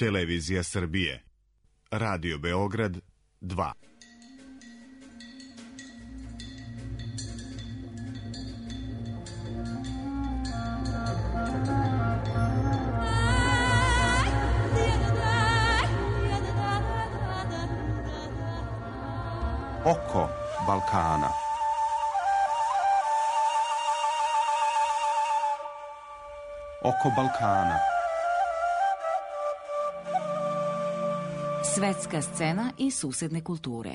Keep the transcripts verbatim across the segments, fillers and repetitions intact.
Televizija Srbije, Radio Beograd dva. Oko Balkana. Oko Balkana. Svetska scena i susedne kulture.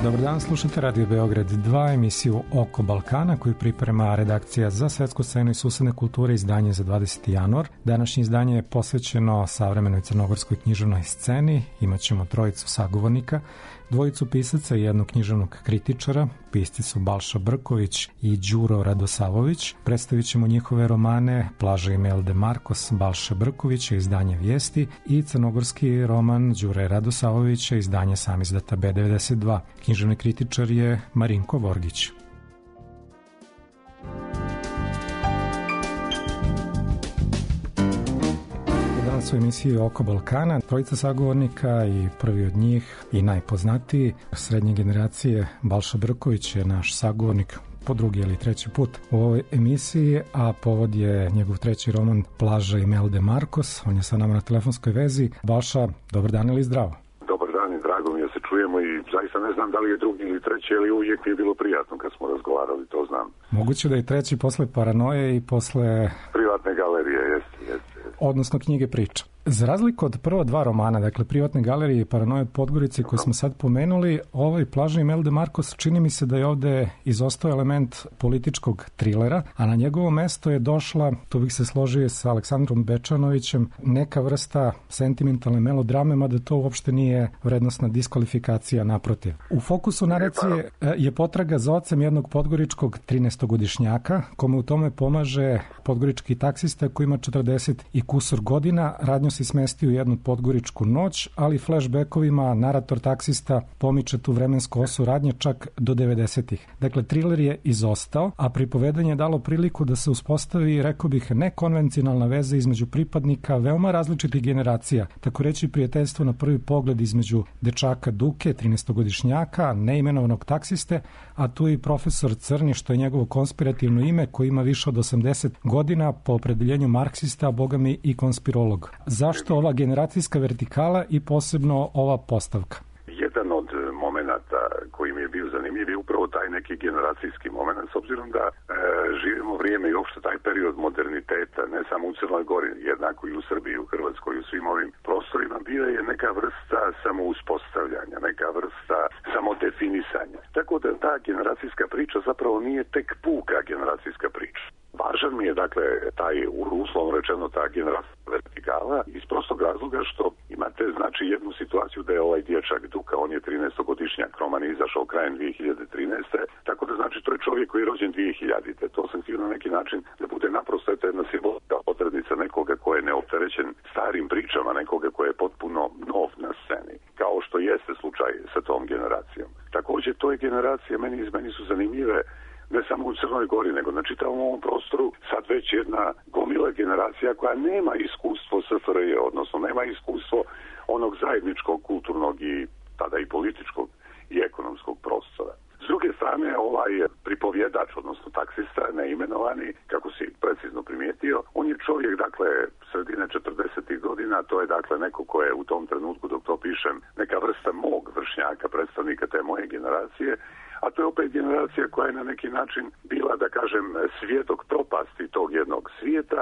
Dobar dan, slušate Radio Beograd dva, emisiju Oko Balkana koju priprema redakcija za svetsku scenu i susedne kulture, izdanje za dvadeseti januar. Današnje izdanje je posvećeno savremenoj crnogorskoj književnoj sceni. Imaćemo trojicu sagovornika, dvojicu pisaca i jednog književnog kritičara. Pisci su Balša Brković i Đuro Radosavović. Predstavit ćemo njihove romane Plaža Imel de Marcos Balše Brkovića, izdanje Vijesti, i crnogorski roman Đure Radosavovića, izdanje Samizdata B devedeset dva. Književni kritičar je Marinko Vorgić. Danas u emisiji Oko Balkana trojica sagovornika i prvi od njih i najpoznatiji srednje generacije Balša Brković je naš sagovornik po drugi ili treći put u ovoj emisiji, a povod je njegov treći roman Plaža Imel de Marcos. On je sa nama na telefonskoj vezi. Balša, dobar dan ili zdravo? Dobar dan i drago mi je se čujemo i zaista ne znam da li je drugi ili treći, ali uvijek mi je bilo prijatno kad smo razgovarali, to znam. Moguće da je treći posle Paranoje i posle Privatne galerije, jeste, jeste. Odnosno knjige priča. Za razliku od prva dva romana, dakle Privatne galerije i Paranoje od Podgorice koje smo sad pomenuli, ovaj Plaža Imel de Marcos čini mi se da je ovde izostao element političkog trilera, a na njegovo mesto je došla, tu bih se složio sa Aleksandrom Bečanovićem, neka vrsta sentimentalne melodrame, mada to uopšte nije vrednosna diskvalifikacija, naprotiv. U fokusu naracije je potraga za ocem jednog podgoričkog trinaestogodišnjaka, kome u tome pomaže podgorički taksista koji ima četrdeset i kusur godina. Radnju se smesti u jednu podgoričku noć, ali flashbackovima narator taksista pomiče tu vremensku osu radnje čak do devedesetih. Dakle, triler je izostao, a pripovedanje je dalo priliku da se uspostavi, rekao bih, nekonvencionalna veza između pripadnika veoma različitih generacija, tako reći prijateljstvo na prvi pogled između dečaka Duke, trinaestogodišnjaka, neimenovanog taksiste, a tu i profesor Crni, što je njegovo konspirativno ime, koji ima više od osamdeset godina, po opredeljenju marksista, a bogami i konspirolog. Zašto ova generacijska vertikala i posebno ova postavka? Jedan od momenata koji mi je bio zanimljiv je upravo taj neki generacijski moment, s obzirom da e, živimo vrijeme i uopšte taj period moderniteta, ne samo u Crnoj Gori, jednako i u Srbiji, u Hrvatskoj, u svim ovim prostorima, bila je neka vrsta samouspostavljanja, neka vrsta samodefinisanja. Tako da ta generacijska priča zapravo nije tek puka generacijska priča. Važan mi je, dakle, taj, uslovno rečeno, ta generacijska vertikala iz prostog razloga što imate, znači, jednu situaciju da je ovaj dječak Duka, on je trinaestogodišnjak, roman je izašao krajem dvije hiljade trinaeste. Tako da, znači, to je čovjek koji je rođen dvije hiljadite. To sam htio na neki način da bude naprosto eto jedna simbolska odrednica nekoga ko je neopterećen starim pričama, nekoga ko je potpuno nov na sceni, kao što jeste slučaj sa tom generacijom. Također, to je generacija, meni, meni su zanimljive ne samo u Crnoj Gori, nego na čitavom ovom prostoru sad već jedna gomila generacija koja nema iskustvo S F R J, odnosno nema iskustvo onog zajedničkog, kulturnog i tada i političkog i ekonomskog prostora. S druge strane, ovaj pripovjedač, odnosno taksista, neimenovani, kako si precizno primijetio, on je čovjek, dakle, sredine četrdesetih godina, to je, dakle, neko ko je u tom trenutku, dok to pišem, neka vrsta mog vršnjaka, predstavnika te moje generacije, a to je opet generacija koja je na neki način bila, da kažem, svjedok propasti tog jednog svijeta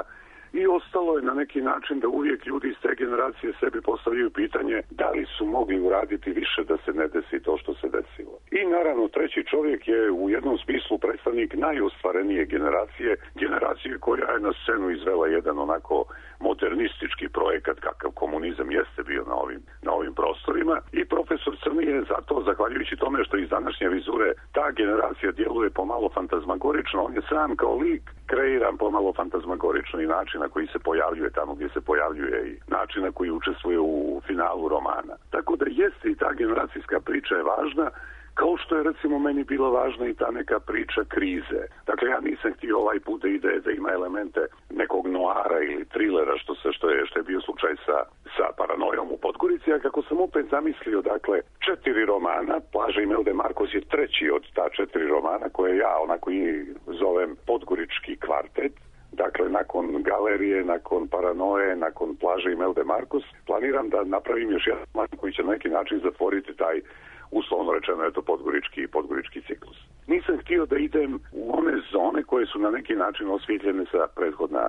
i ostalo je na neki način da uvijek ljudi iz te generacije sebi postavljaju pitanje da li su mogli uraditi više da se ne desi to što se desilo. I naravno treća treći čovjek je u jednom smislu predstavnik najostvarenije generacije, generacije koja je na scenu izvela jedan onako modernistički projekat kakav komunizam jeste bio na ovim, na ovim prostorima. I profesor Crni je zato, zahvaljujući tome što iz današnje vizure ta generacija djeluje pomalo fantazmagorično, on je sam kao lik kreiran pomalo fantazmagorično i način na koji se pojavljuje tamo gdje se pojavljuje i način na koji učestvuje u finalu romana. Tako da jeste i ta generacijska priča je važna, kao što je recimo meni bila važna i ta neka priča krize. Dakle, ja nisam htio ovaj put da ide da ima elemente nekog noara ili trilera, što se što je što je bio slučaj sa sa Paranojom u Podgorici, a kako sam opet zamislio, dakle, četiri romana, Plaža Imelda Markos je treći od ta četiri romana koje ja onako i zovem Podgorički kvartet. Dakle, nakon Galerije, nakon Paranoje, nakon Plaže Imelda Markos, planiram da napravim još jedan roman koji će na neki način zatvoriti taj, uslovno rečeno, eto, podgorički, podgorički ciklus. Nisam htio da idem u one zone koje su na neki način osvjetljene sa prethodna e,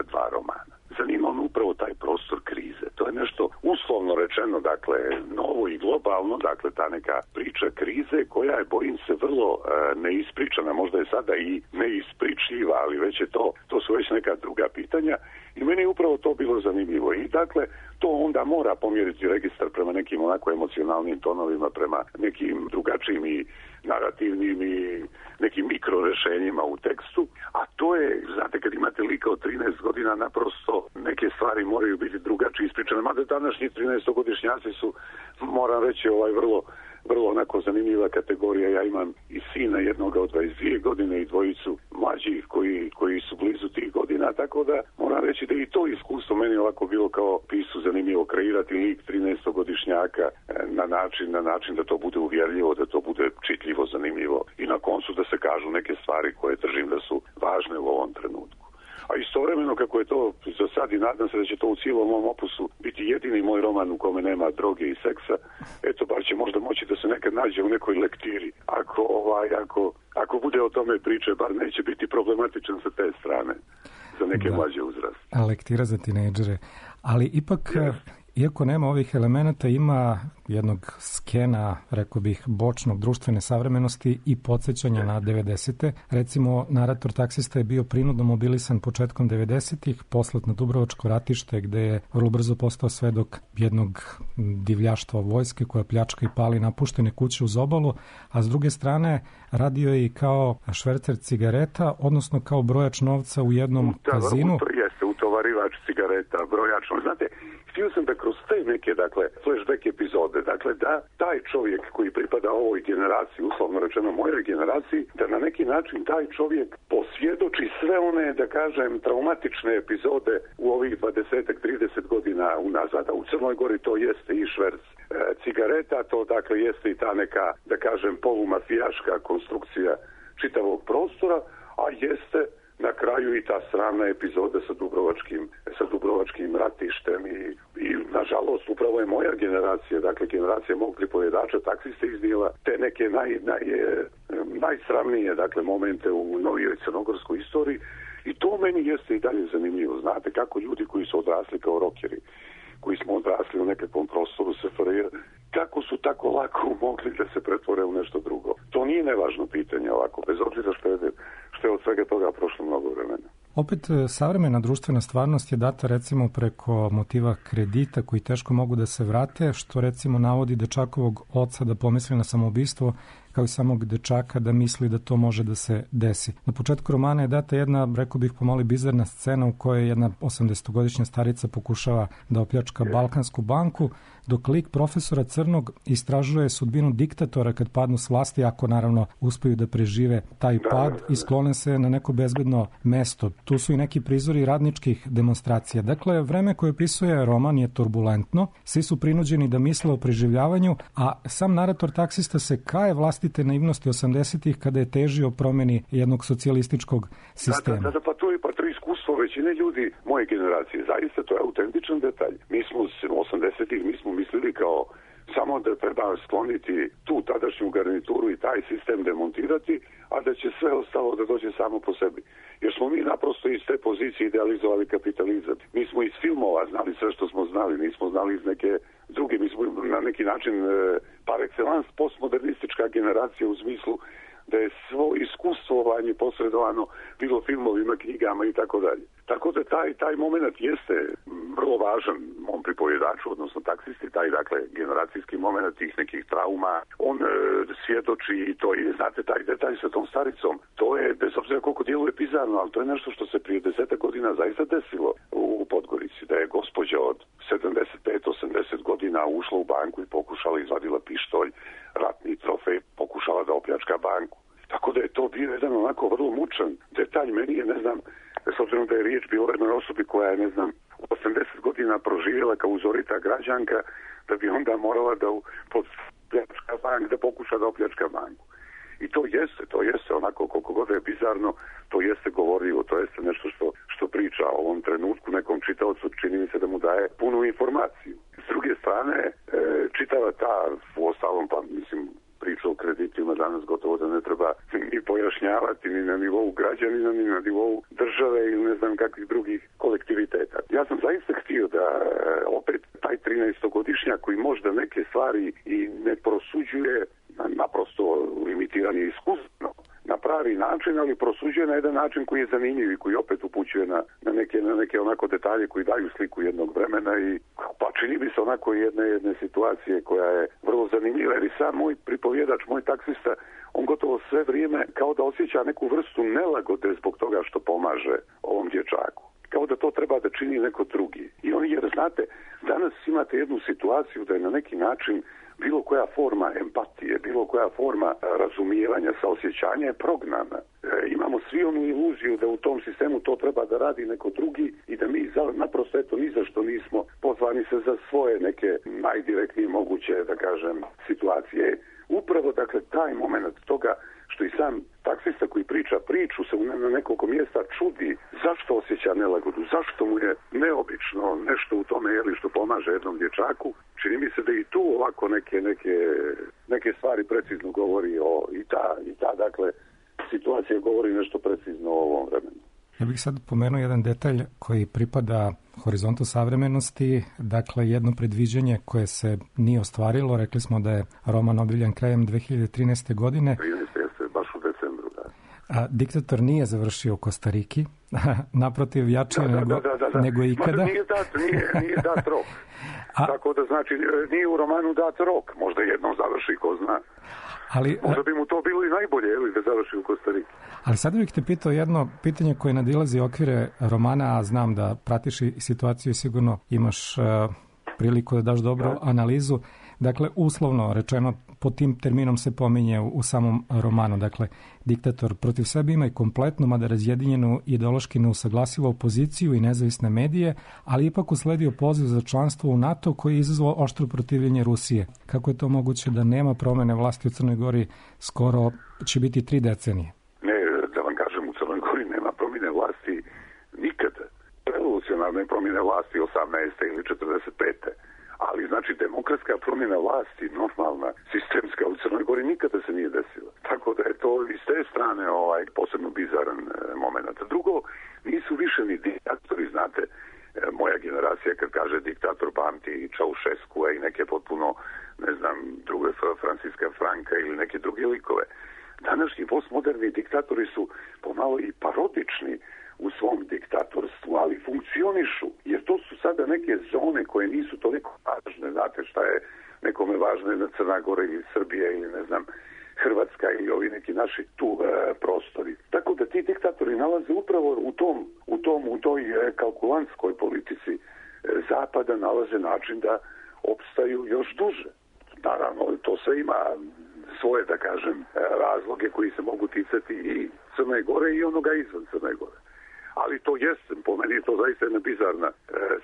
dva romana. Zanima me upravo taj prostor krize. To je nešto uslovno rečeno, dakle, novo i globalno, dakle, ta neka priča krize koja je, bojim se, vrlo e, neispričana, možda je sada i neispričljiva, ali već je to, to su već neka druga pitanja i meni je upravo to bilo zanimljivo. I dakle, to onda mora pomjeriti registar prema nekim onako emocionalnim tonovima, prema nekim drugačijim i narativnim i nekim mikrorešenjima u tekstu, a to je, znate, kad imate lika od trinaest godina, naprosto neke stvari moraju biti drugačije ispričane, mada današnji trinaestogodišnjaci su, moram reći, ovaj vrlo vrlo onako zanimljiva kategorija. Ja imam i sina jednoga od dvadeset dvije godine i dvojicu mlađih koji, koji su blizu tih godina, tako da moram reći da i to iskustvo meni ovako bilo kao pisu zanimljivo kreirati lik trinaestogodišnjaka na način, na način da to bude uvjerljivo, da to bude čitljivo, zanimljivo i na koncu da se kažu neke stvari koje držim da su važne u ovom trenutku. A istovremeno, kako je to za sad i nadam se da će to u cijelom mom opusu biti jedini moj roman u kome nema droge i seksa, eto, bar će možda moći da se nekad nađe u nekoj lektiri. Ako, ovaj, ako, ako bude o tome priče, bar neće biti problematičan sa te strane za neke da. Mlađe uzraste. Lektira za tinejdžere. Ali ipak... Yes. Iako nema ovih elemenata, ima jednog skena, rekao bih, bočnog društvene savremenosti i podsjećanja na devedesete. Recimo, narator taksista je bio prinudno mobilisan početkom devedesetih, poslat na Dubrovačko ratište, gde je vrlo brzo postao svedok jednog divljaštva vojske koja pljačka i pali napuštene kuće uz obalu, a s druge strane radio je i kao švercer cigareta, odnosno kao brojač novca u jednom da, kazinu. To jeste, utovarivač cigareta, brojač. Znate, htio sam da kroz te neke, dakle, flashback epizode, dakle, da taj čovjek koji pripada ovoj generaciji, uslovno rečeno mojoj generaciji, da na neki način taj čovjek posvjedoči sve one, da kažem, traumatične epizode u ovih dvadeset trideset godina unazad. A u Crnoj Gori to jeste i šverc e, cigareta, to dakle jeste i ta neka, da kažem, polumafijaška konstrukcija čitavog prostora, a jeste na kraju i ta sramna epizoda sa Dubrovačkim, sa Dubrovačkim ratištem i, i nažalost upravo je moja generacija, dakle generacija mog pripovjedača taksiste iznijela te neke naj, naj, najsramnije dakle momente u novijoj crnogorskoj istoriji i to meni jeste i dalje zanimljivo. Znate kako ljudi koji su odrasli kao rokeri, koji smo odrasli u nekakvom prostoru S F R J, kako su tako lako mogli da se pretvore u nešto drugo. To nije nevažno pitanje ovako, bez obzira što je, što je od svega toga prošlo mnogo vremena. Opet, savremena društvena stvarnost je data recimo preko motiva kredita koji teško mogu da se vrate, što recimo navodi dečakovog oca da pomisli na samoubistvo, kao i samog dečaka da misli da to može da se desi. Na početku romana je data jedna, rekao bih pomalo bizarna scena u kojoj jedna osamdesetogodišnja starica pokušava da opljačka Balkansku banku, dok lik profesora Crnog istražuje sudbinu diktatora kad padnu s vlasti, ako naravno uspeju da prežive taj pad i sklone se na neko bezbedno mesto. Tu su i neki prizori radničkih demonstracija. Dakle, vreme koje opisuje roman je turbulentno, svi su prinuđeni da misle o preživljavanju, a sam narator taksista se kaje vlastite naivnosti osamdesetih kada je težio o promjeni jednog socijalističkog sistema. Da, da, da, pa to je pa to iskustvo većine ljudi moje generacije. Zaista to je autentičan detalj. Mi smo osamdesetih mi smo mislili kao samo da treba skloniti tu tadašnju garnituru i taj sistem demontirati, a da će sve ostalo da dođe samo po sebi. Jer smo mi naprosto iz te pozicije idealizovali kapitalizam. Mi smo iz filmova znali sve što smo znali, nismo znali iz neke druge, mi smo na neki način par excellence excellence postmodernistička generacija u smislu da je svo iskustvovanje posredovano bilo filmovima, knjigama i tako dalje. Tako da taj, taj moment jeste vrlo važan mom pripovjedaču, odnosno taksisti, taj dakle generacijski moment tih nekih trauma. On e, svjedoči i to je, znate, taj detalj sa tom staricom, to je, bez obzira koliko djeluje bizarno, ali to je nešto što se prije deseta godina zaista desilo u Podgorici, da je gospođa od sedamdeset pet do osamdeset godina ušla u banku i pokušala, izvadila pištolj, ratni trofej, pokušala da opljačka banku. Tako da je to bio jedan onako vrlo mučan detalj. Meni je, ne znam, s obzirom da je riječ bio o jednoj osobi koja je, ne znam, osamdeset godina proživjela kao uzorita građanka, da bi onda morala da opljačka bank, da pokuša da opljačka banku. I to jeste, to jeste onako koliko god je bizarno, to jeste govorljivo, to jeste nešto što, što priča o ovom trenutku nekom čitaocu, čini mi se da mu daje punu informaciju. S druge strane, e, čitava ta, u ostalom, pa mislim, priča o kreditima danas gotovo da ne treba ni pojašnjavati ni na nivou građanina, ni na nivou države ili ne znam kakvih drugih kolektiviteta. Ja sam zaista htio da opet taj trinaestogodišnjak koji možda neke stvari i ne prosuđuje, naprosto limitiran je iskustveno na pravi način, ali prosuđuje na jedan način koji je zanimljiv i koji opet upućuje na, na, neke, na neke onako detalje koji daju sliku jednog vremena i pa čini mi se onako jedne, jedne situacije koja je vrlo zanimljiva, jer i sam moj pripovjedač, moj taksista, on gotovo sve vrijeme kao da osjeća neku vrstu nelagode zbog toga što pomaže ovom dječaku. Kao da to treba da čini neko drugi. I on, jer znate, danas imate jednu situaciju da je na neki način bilo koja forma empatije, bilo koja forma razumijevanja, saosjećanja je prognana. E, imamo svi onu iluziju da u tom sistemu to treba da radi neko drugi i da mi za, naprosto eto ni za što nismo pozvani se za svoje neke najdirektnije moguće, da kažem, situacije. Upravo, dakle, taj moment toga što i sam taksista koji priča priču se na nekoliko mjesta čudi zašto osjeća nelagodu, zašto mu je neobično nešto u tome jeli što pomaže jednom dječaku. Čini mi se da i tu ovako neke, neke, neke stvari precizno govori o i ta, i ta dakle, situacija govori nešto precizno o ovom vremenu. Ja bih sad pomenuo jedan detalj koji pripada horizontu savremenosti, dakle jedno predviđanje koje se nije ostvarilo, rekli smo da je roman objavljen krajem dve hiljade trinaeste. godine. trinaeste jeste, baš u decembru, da. A diktator nije završio u Kostariki, naprotiv jače da, da, nego, da, da, da. nego ikada. Mada nije dat, nije, nije dat rok. A, tako da znači nije u romanu dat rok, možda jednom završi, ko zna. Ali, možda bi mu to bilo i najbolje, ili da završi u Kostariki. Ali sad bih te pitao jedno pitanje koje nadilazi okvire romana, a znam da pratiš i situaciju i sigurno imaš uh, priliku da daš dobru da. analizu. Dakle, uslovno rečeno, pod tim terminom se pominje u, u samom romanu. Dakle, diktator protiv sebe ima i kompletnu, mada razjedinjenu ideološki neusaglasivu opoziciju i nezavisne medije, ali ipak usledio poziv za članstvo u NATO koji je izazvao oštro protivljenje Rusije. Kako je to moguće da nema promjene vlasti u Crnoj Gori skoro će biti tri decenije? Ne, da vam kažem, u Crnoj Gori nema promjene vlasti nikada. Revolucionarne promjene vlasti osamnaeste ili četrdeset pete Ali, znači, demokratska promjena vlasti, normalna, sistemska u Crnoj Gori nikada se nije desila. Tako da je to iz te strane ovaj, posebno bizaran e, moment. Drugo, nisu više ni diktatori, znate, e, moja generacija kad kaže diktator pamti Čaušeskua i neke potpuno, ne znam, druge Franciska Franka ili neke druge likove. Današnji postmoderni diktatori su pomalo i parodični u svom diktatorstvu, ali funkcionišu, jer to su sada neke zone koje nisu toliko važne, znate šta je nekome važno na Crna Gora ili Srbija ili ne znam Hrvatska ili ovi neki naši tu e, prostori. Tako da ti diktatori nalaze upravo u tom, u tom, u toj e, kalkulantskoj politici e, Zapada nalaze način da opstaju još duže. Naravno, to sve ima svoje, da kažem, razloge koji se mogu ticati i Crne Gore i onoga izvan Crne Gore. Ali to jeste, po meni je to zaista jedna bizarna e,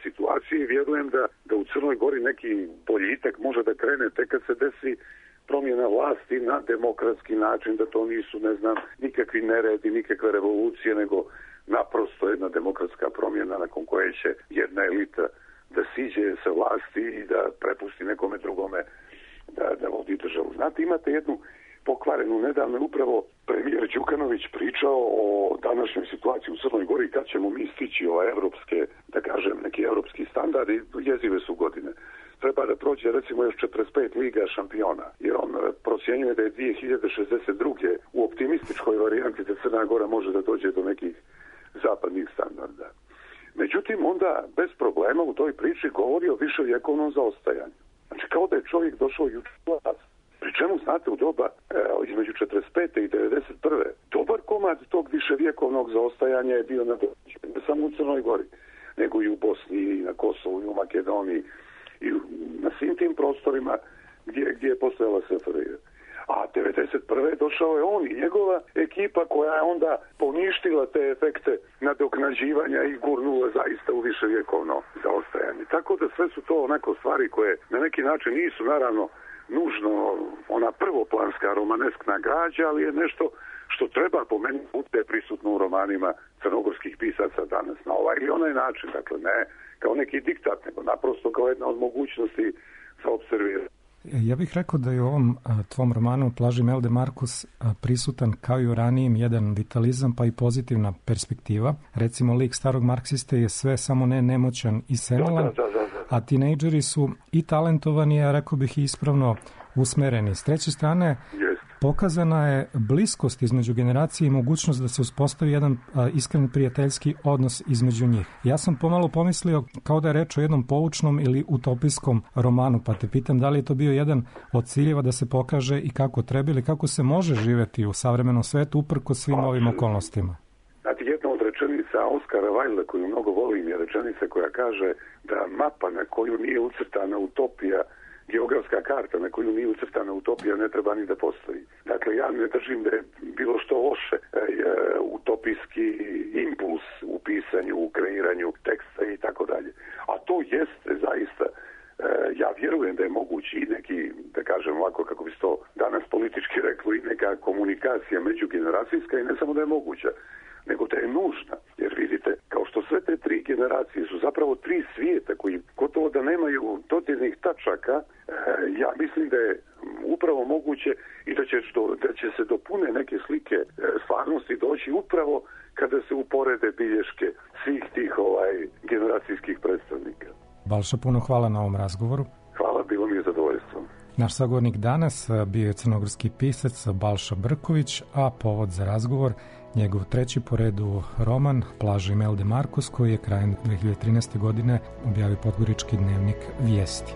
situacija i vjerujem da, da u Crnoj Gori neki boljitak može da krene tek kad se desi promjena vlasti na demokratski način, da to nisu, ne znam, nikakvi neredi, nikakve revolucije, nego naprosto jedna demokratska promjena nakon koje će jedna elita da siđe sa vlasti i da prepusti nekome drugome da, da vodi državu. Znate, imate jednu pokvarenu, nedavno upravo premijer Đukanović pričao o današnjoj situaciji u Crnoj Gori, kad ćemo mi stići ove evropske, da kažem, neki evropski standardi, jezive su godine. Treba da prođe recimo još četrdeset pet liga šampiona, jer on e, procjenjuje da je dvije hiljade šezdeset druge u optimističkoj varijanti da Crna Gora može da dođe do nekih zapadnih standarda. Međutim, onda bez problema u toj priči govori o viševjekovnom zaostajanju. Znači, kao da je čovjek došao juče u vlast. Pri čemu, znate, u doba e, između četrdeset pete i devedeset prve dobar komad tog viševjekovnog zaostajanja je bio na domaćem, ne samo u Crnoj Gori, nego i u Bosni, i na Kosovu, i u Makedoniji, i na svim tim prostorima gdje, gdje je postojala S F R J. A devedeset prve došao je on i njegova ekipa koja je onda poništila te efekte nadoknađivanja i gurnula zaista u viševjekovno zaostajanje. Tako da sve su to onako stvari koje na neki način nisu naravno nužno ona prvoplanska romaneskna građa, ali je nešto što treba po meni bude prisutno u romanima crnogorskih pisaca danas na ovaj ili onaj način. Dakle, ne kao neki diktat, nego naprosto kao jedna od mogućnosti za observiranje. Ja bih rekao da je u ovom a, tvom romanu Plaži Melde Markus a, prisutan kao i u ranijim jedan vitalizam pa i pozitivna perspektiva. Recimo, lik starog marksiste je sve samo ne nemoćan i senalan, da, da, da, da. a tinejdžeri su i talentovani, a rekao bih i ispravno usmereni. S treće strane, Jest. pokazana je bliskost između generacije i mogućnost da se uspostavi jedan a, iskren prijateljski odnos između njih. Ja sam pomalo pomislio kao da je reč o jednom poučnom ili utopijskom romanu, pa te pitam da li je to bio jedan od ciljeva da se pokaže i kako treba ili kako se može živjeti u savremenom svetu uprko svim ovim okolnostima. Znate, jedna od rečenica Oskara Wilda koju mnogo volim je rečenica koja kaže da mapa na koju nije ucrtana utopija, geografska karta na koju nije ucrtana utopija ne treba ni da postoji. Dakle, ja ne držim da je bilo što loše e, utopijski impuls u pisanju, u kreiranju teksta i tako dalje. A to jeste zaista, e, ja vjerujem da je mogući i neki, da kažem ovako kako bi se to danas politički reklo, i neka komunikacija međugeneracijska i ne samo da je moguća, nego da je nužna. Jer vidite, kao što sve te tri generacije su zapravo tri svijeta koji gotovo da nemaju dodirnih tačaka, e, ja mislim da je upravo moguće i da će, što, da će se dopune neke slike e, stvarnosti doći upravo kada se uporede bilješke svih tih ovaj generacijskih predstavnika. Balša, puno hvala na ovom razgovoru. Hvala, bilo mi je zadovoljstvo. Naš sagovornik danas bio je crnogorski pisac Balša Brković, a povod za razgovor njegov treći po redu roman Plaža Melde Markus, koji je krajem dve hiljade trinaeste. godine objavio podgorički dnevnik Vijesti.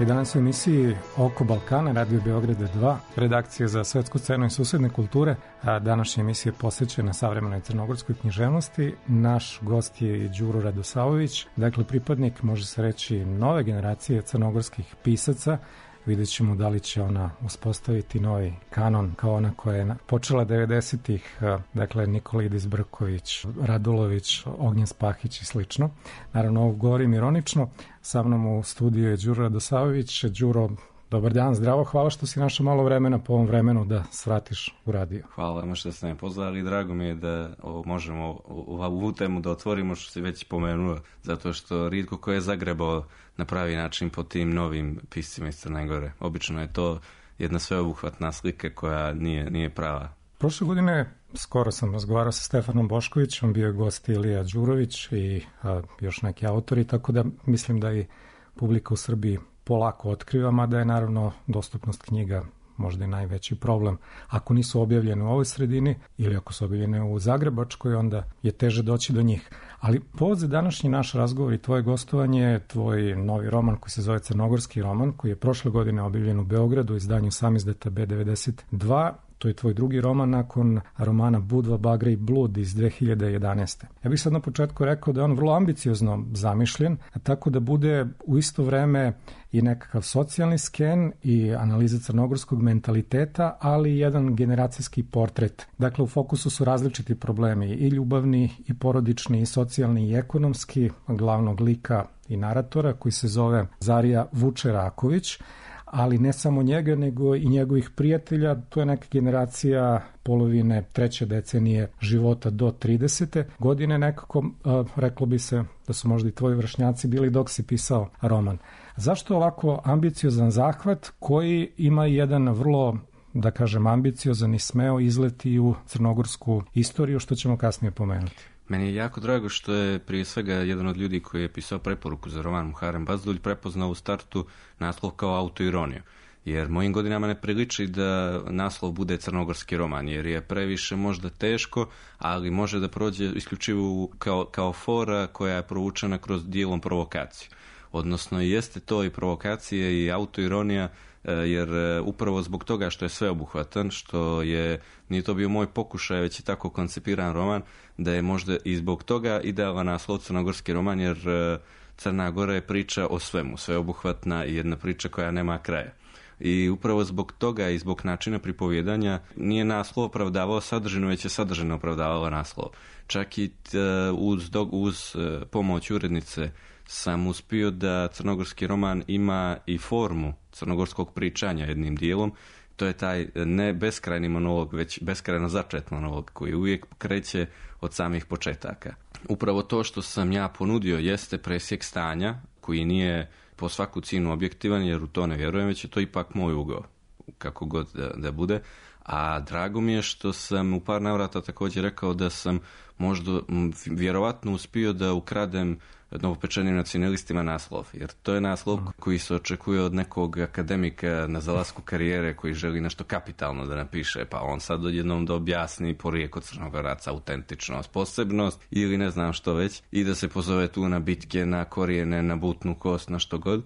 I danas u emisiji Oko Balkana, Radio Beograda dva, redakcija za svetsku scenu i susedne kulture. A današnja emisija je posvećena savremenoj crnogorskoj književnosti. Naš gost je i Đuro Radosavović, dakle pripadnik, može se reći, nove generacije crnogorskih pisaca. Vidjet ćemo da li će ona uspostaviti novi kanon kao ona koja je počela devedesetih, dakle Nikolidis Brković, Radulović, Ognjen Spahić i slično. Naravno, ovo govorim ironično. Sa mnom u studiju je Đuro Radosavović. Đuro, dobar dan, zdravo, hvala što si našao malo vremena po ovom vremenu da svratiš u radio. Hvala vam što ste me pozvali, drago mi je da ovo možemo u ovu temu da otvorimo, što si već pomenuo, zato što rijetko ko je zagrebao na pravi način po tim novim piscima iz Crne Gore. Obično je to jedna sveobuhvatna slika koja nije, nije prava. Prošle godine skoro sam razgovarao sa Stefanom Boškovićem, bio je gost Ilija Đurović i a, još neki autori, tako da mislim da i publika u Srbiji polako otkriva, mada je naravno dostupnost knjiga možda i najveći problem. Ako nisu objavljene u ovoj sredini ili ako su objavljene u Zagrebačkoj, onda je teže doći do njih. Ali povod za današnji naš razgovor i tvoje gostovanje je tvoj novi roman koji se zove Crnogorski roman, koji je prošle godine objavljen u Beogradu u izdanju Samizdata B devedeset dva. To je tvoj drugi roman nakon romana Budva, Bagra i blud iz dve hiljade jedanaeste. Ja bih sad na početku rekao da je on vrlo ambiciozno zamišljen, tako da bude u isto vreme i nekakav socijalni sken i analiza crnogorskog mentaliteta, ali i jedan generacijski portret. Dakle, u fokusu su različiti problemi, i ljubavni, i porodični, i socijalni, i ekonomski, glavnog lika i naratora koji se zove Zarija Vučeraković. ali ne samo njega, nego i njegovih prijatelja. To je neka generacija polovine treće decenije života do tridesete godine nekako, reklo bi se da su možda i tvoji vršnjaci bili dok si pisao roman. Zašto ovako ambiciozan zahvat koji ima jedan vrlo, da kažem, ambiciozan i smeo izleti u crnogorsku istoriju, što ćemo kasnije pomenuti? Meni je jako drago što je prije svega jedan od ljudi koji je pisao preporuku za roman Muharrem Bazdulj prepoznao u startu naslov kao autoironiju. Jer mojim godinama ne priliči da naslov bude crnogorski roman, jer je previše možda teško, ali može da prođe isključivo kao, kao fora koja je provučena kroz dijelom provokaciju. Odnosno, jeste to i provokacije i autoironija, jer upravo zbog toga što je sveobuhvatan, što je, nije to bio moj pokušaj, već je tako koncipiran roman, da je možda i zbog toga idealan naslov crnogorski roman, jer Crna Gora je priča o svemu, sveobuhvatna i jedna priča koja nema kraja. I upravo zbog toga i zbog načina pripovjedanja nije naslov opravdavao sadržinu, već je sadržina opravdavala naslov. Čak i uz, uz pomoć urednice sam uspio da crnogorski roman ima i formu crnogorskog pričanja jednim dijelom. To je taj ne beskrajni monolog, već beskrajno začet monolog koji uvijek kreće od samih početaka. Upravo to što sam ja ponudio jeste presjek stanja koji nije po svaku cijenu objektivan, jer u to ne vjerujem, već je to ipak moj ugao, kako god da, da bude. A drago mi je što sam u par navrata također rekao da sam možda vjerovatno uspio da ukradem novopečenim nacionalistima naslov, jer to je naslov koji se očekuje od nekog akademika na zalasku karijere koji želi nešto kapitalno da napiše, pa on sad odjednom da objasni porijeklo Crnogoraca, autentičnost, posebnost ili ne znam što već, i da se pozove tu na bitke, na korijene, na butnu kost, na što god.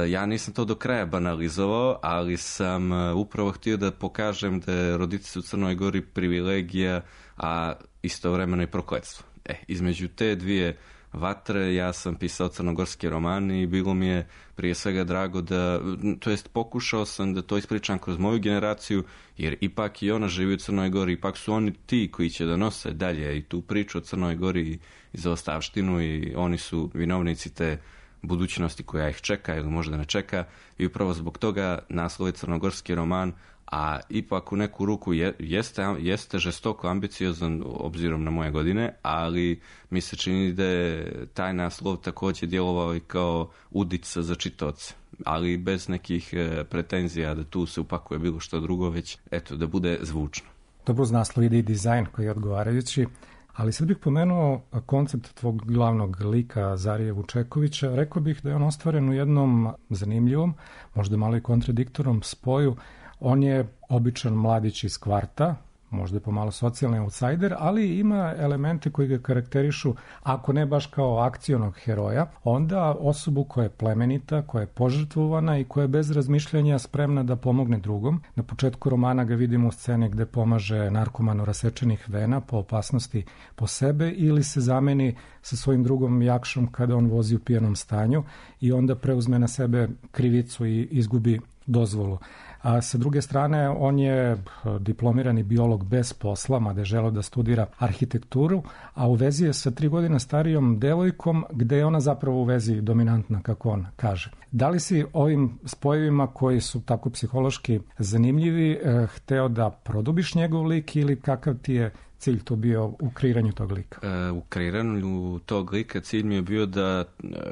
Ja nisam to do kraja banalizovao, ali sam upravo htio da pokažem da je roditi se u Crnoj Gori privilegija, a istovremeno i prokletstvo. E, između te dvije vatre ja sam pisao crnogorski roman i bilo mi je prije svega drago da, to jest pokušao sam da to ispričam kroz moju generaciju, jer ipak i ona živi u Crnoj Gori, ipak su oni ti koji će da nose dalje i tu priču o Crnoj Gori i zaostavštinu, i oni su vinovnici te budućnosti koja ih čeka ili možda ne čeka, i upravo zbog toga naslov je crnogorski roman, a ipak u neku ruku je, jeste, jeste žestoko ambiciozan obzirom na moje godine, ali mi se čini da je taj naslov također djelovao i kao udica za čitaoce, ali bez nekih pretenzija da tu se upakuje bilo što drugo, već eto, da bude zvučno. Dobro, uz naslov ide i dizajn koji je odgovarajući. Ali sad bih pomenuo koncept tvog glavnog lika Zarije Vučekovića. Rekao bih da je on ostvaren u jednom zanimljivom, možda malo i kontradiktornom spoju. On je običan mladić iz kvarta, možda je pomalo socijalni outsider, ali ima elemente koji ga karakterišu, ako ne baš kao akcionog heroja, onda osobu koja je plemenita, koja je požrtvovana i koja je bez razmišljanja spremna da pomogne drugom. Na početku romana ga vidimo u sceni gde pomaže narkomanu rasečenih vena po opasnosti po sebe, ili se zameni sa svojim drugom Jakšom kada on vozi u pijanom stanju i onda preuzme na sebe krivicu i izgubi dozvolu. A sa druge strane, on je diplomirani biolog bez posla, mada je želeo da studira arhitekturu, a u vezi je sa tri godine starijom devojkom, gde je ona zapravo u vezi dominantna, kako on kaže. Da li si ovim spojevima koji su tako psihološki zanimljivi eh, hteo da produbiš njegov lik, ili kakav ti je cilj to bio u kreiranju tog lika? E, u kreiranju tog lika cilj mi je bio da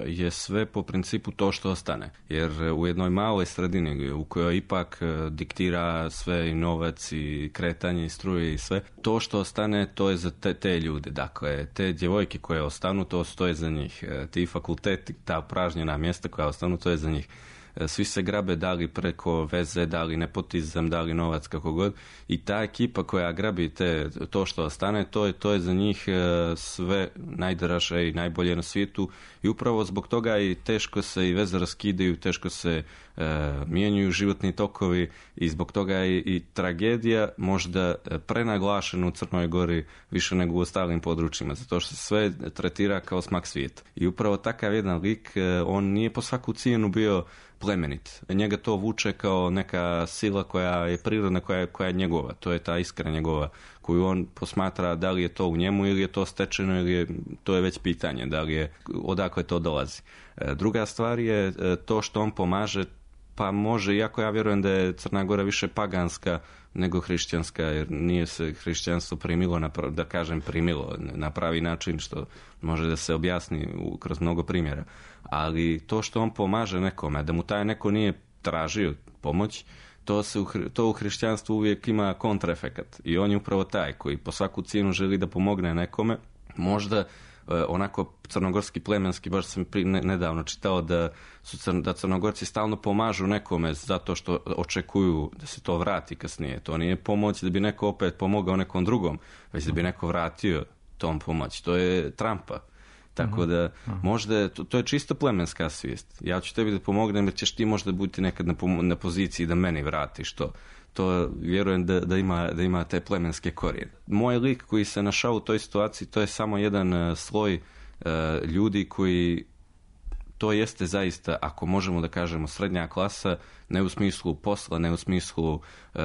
je sve po principu to što ostane. Jer u jednoj maloj sredini u kojoj ipak diktira sve i novac i kretanje i struje i sve, to što ostane to je za te, te ljude. Dakle, te djevojke koje ostanu, to stoje za njih. Ti fakulteti, ta pražnjena mjesta koja ostanu, to je za njih. Svi se grabe, da li preko veze, da li nepotizam, da li novac, kako god. I ta ekipa koja grabi te, to što ostane, to je, to je za njih sve najdraže i najbolje na svijetu. I upravo zbog toga i teško se i veze raskidaju, teško se e, mijenjaju životni tokovi, i zbog toga je i, i tragedija možda prenaglašena u Crnoj Gori više nego u ostalim područjima, zato što se sve tretira kao smak svijeta. I upravo takav jedan lik, on nije po svaku cijenu bio plemenit. Njega to vuče kao neka sila koja je prirodna, koja je, koja je njegova. To je ta iskra njegova koju on posmatra da li je to u njemu ili je to stečeno, ili je, to je već pitanje da li je, odakle to dolazi. Druga stvar je to što on pomaže Pa može, iako ja vjerujem da je Crna Gora više paganska nego hrišćanska, jer nije se hrišćanstvo primilo, na, da kažem primilo na pravi način, što može da se objasni u, kroz mnogo primjera. Ali to što on pomaže nekome, da mu taj neko nije tražio pomoć, to, se u, to u hrišćanstvu uvijek ima kontraefekat. I on je upravo taj koji po svaku cijenu želi da pomogne nekome. Možda onako crnogorski plemenski, baš sam pri, ne, nedavno čitao da su crn, da Crnogorci stalno pomažu nekome zato što očekuju da se to vrati kasnije. To nije pomoć da bi neko opet pomogao nekom drugom, već da bi neko vratio tom pomoć. To je trampa. Tako da možda, to, to je čisto plemenska svijest. Ja ću tebi da pomognem jer ćeš ti možda biti nekad na, na poziciji da meni vratiš to. To vjerujem da, da, ima, da ima te plemenske korijene. Moj lik koji se našao u toj situaciji, to je samo jedan uh, sloj uh, ljudi koji, to jeste zaista, ako možemo da kažemo, srednja klasa, ne u smislu posla, ne u smislu uh,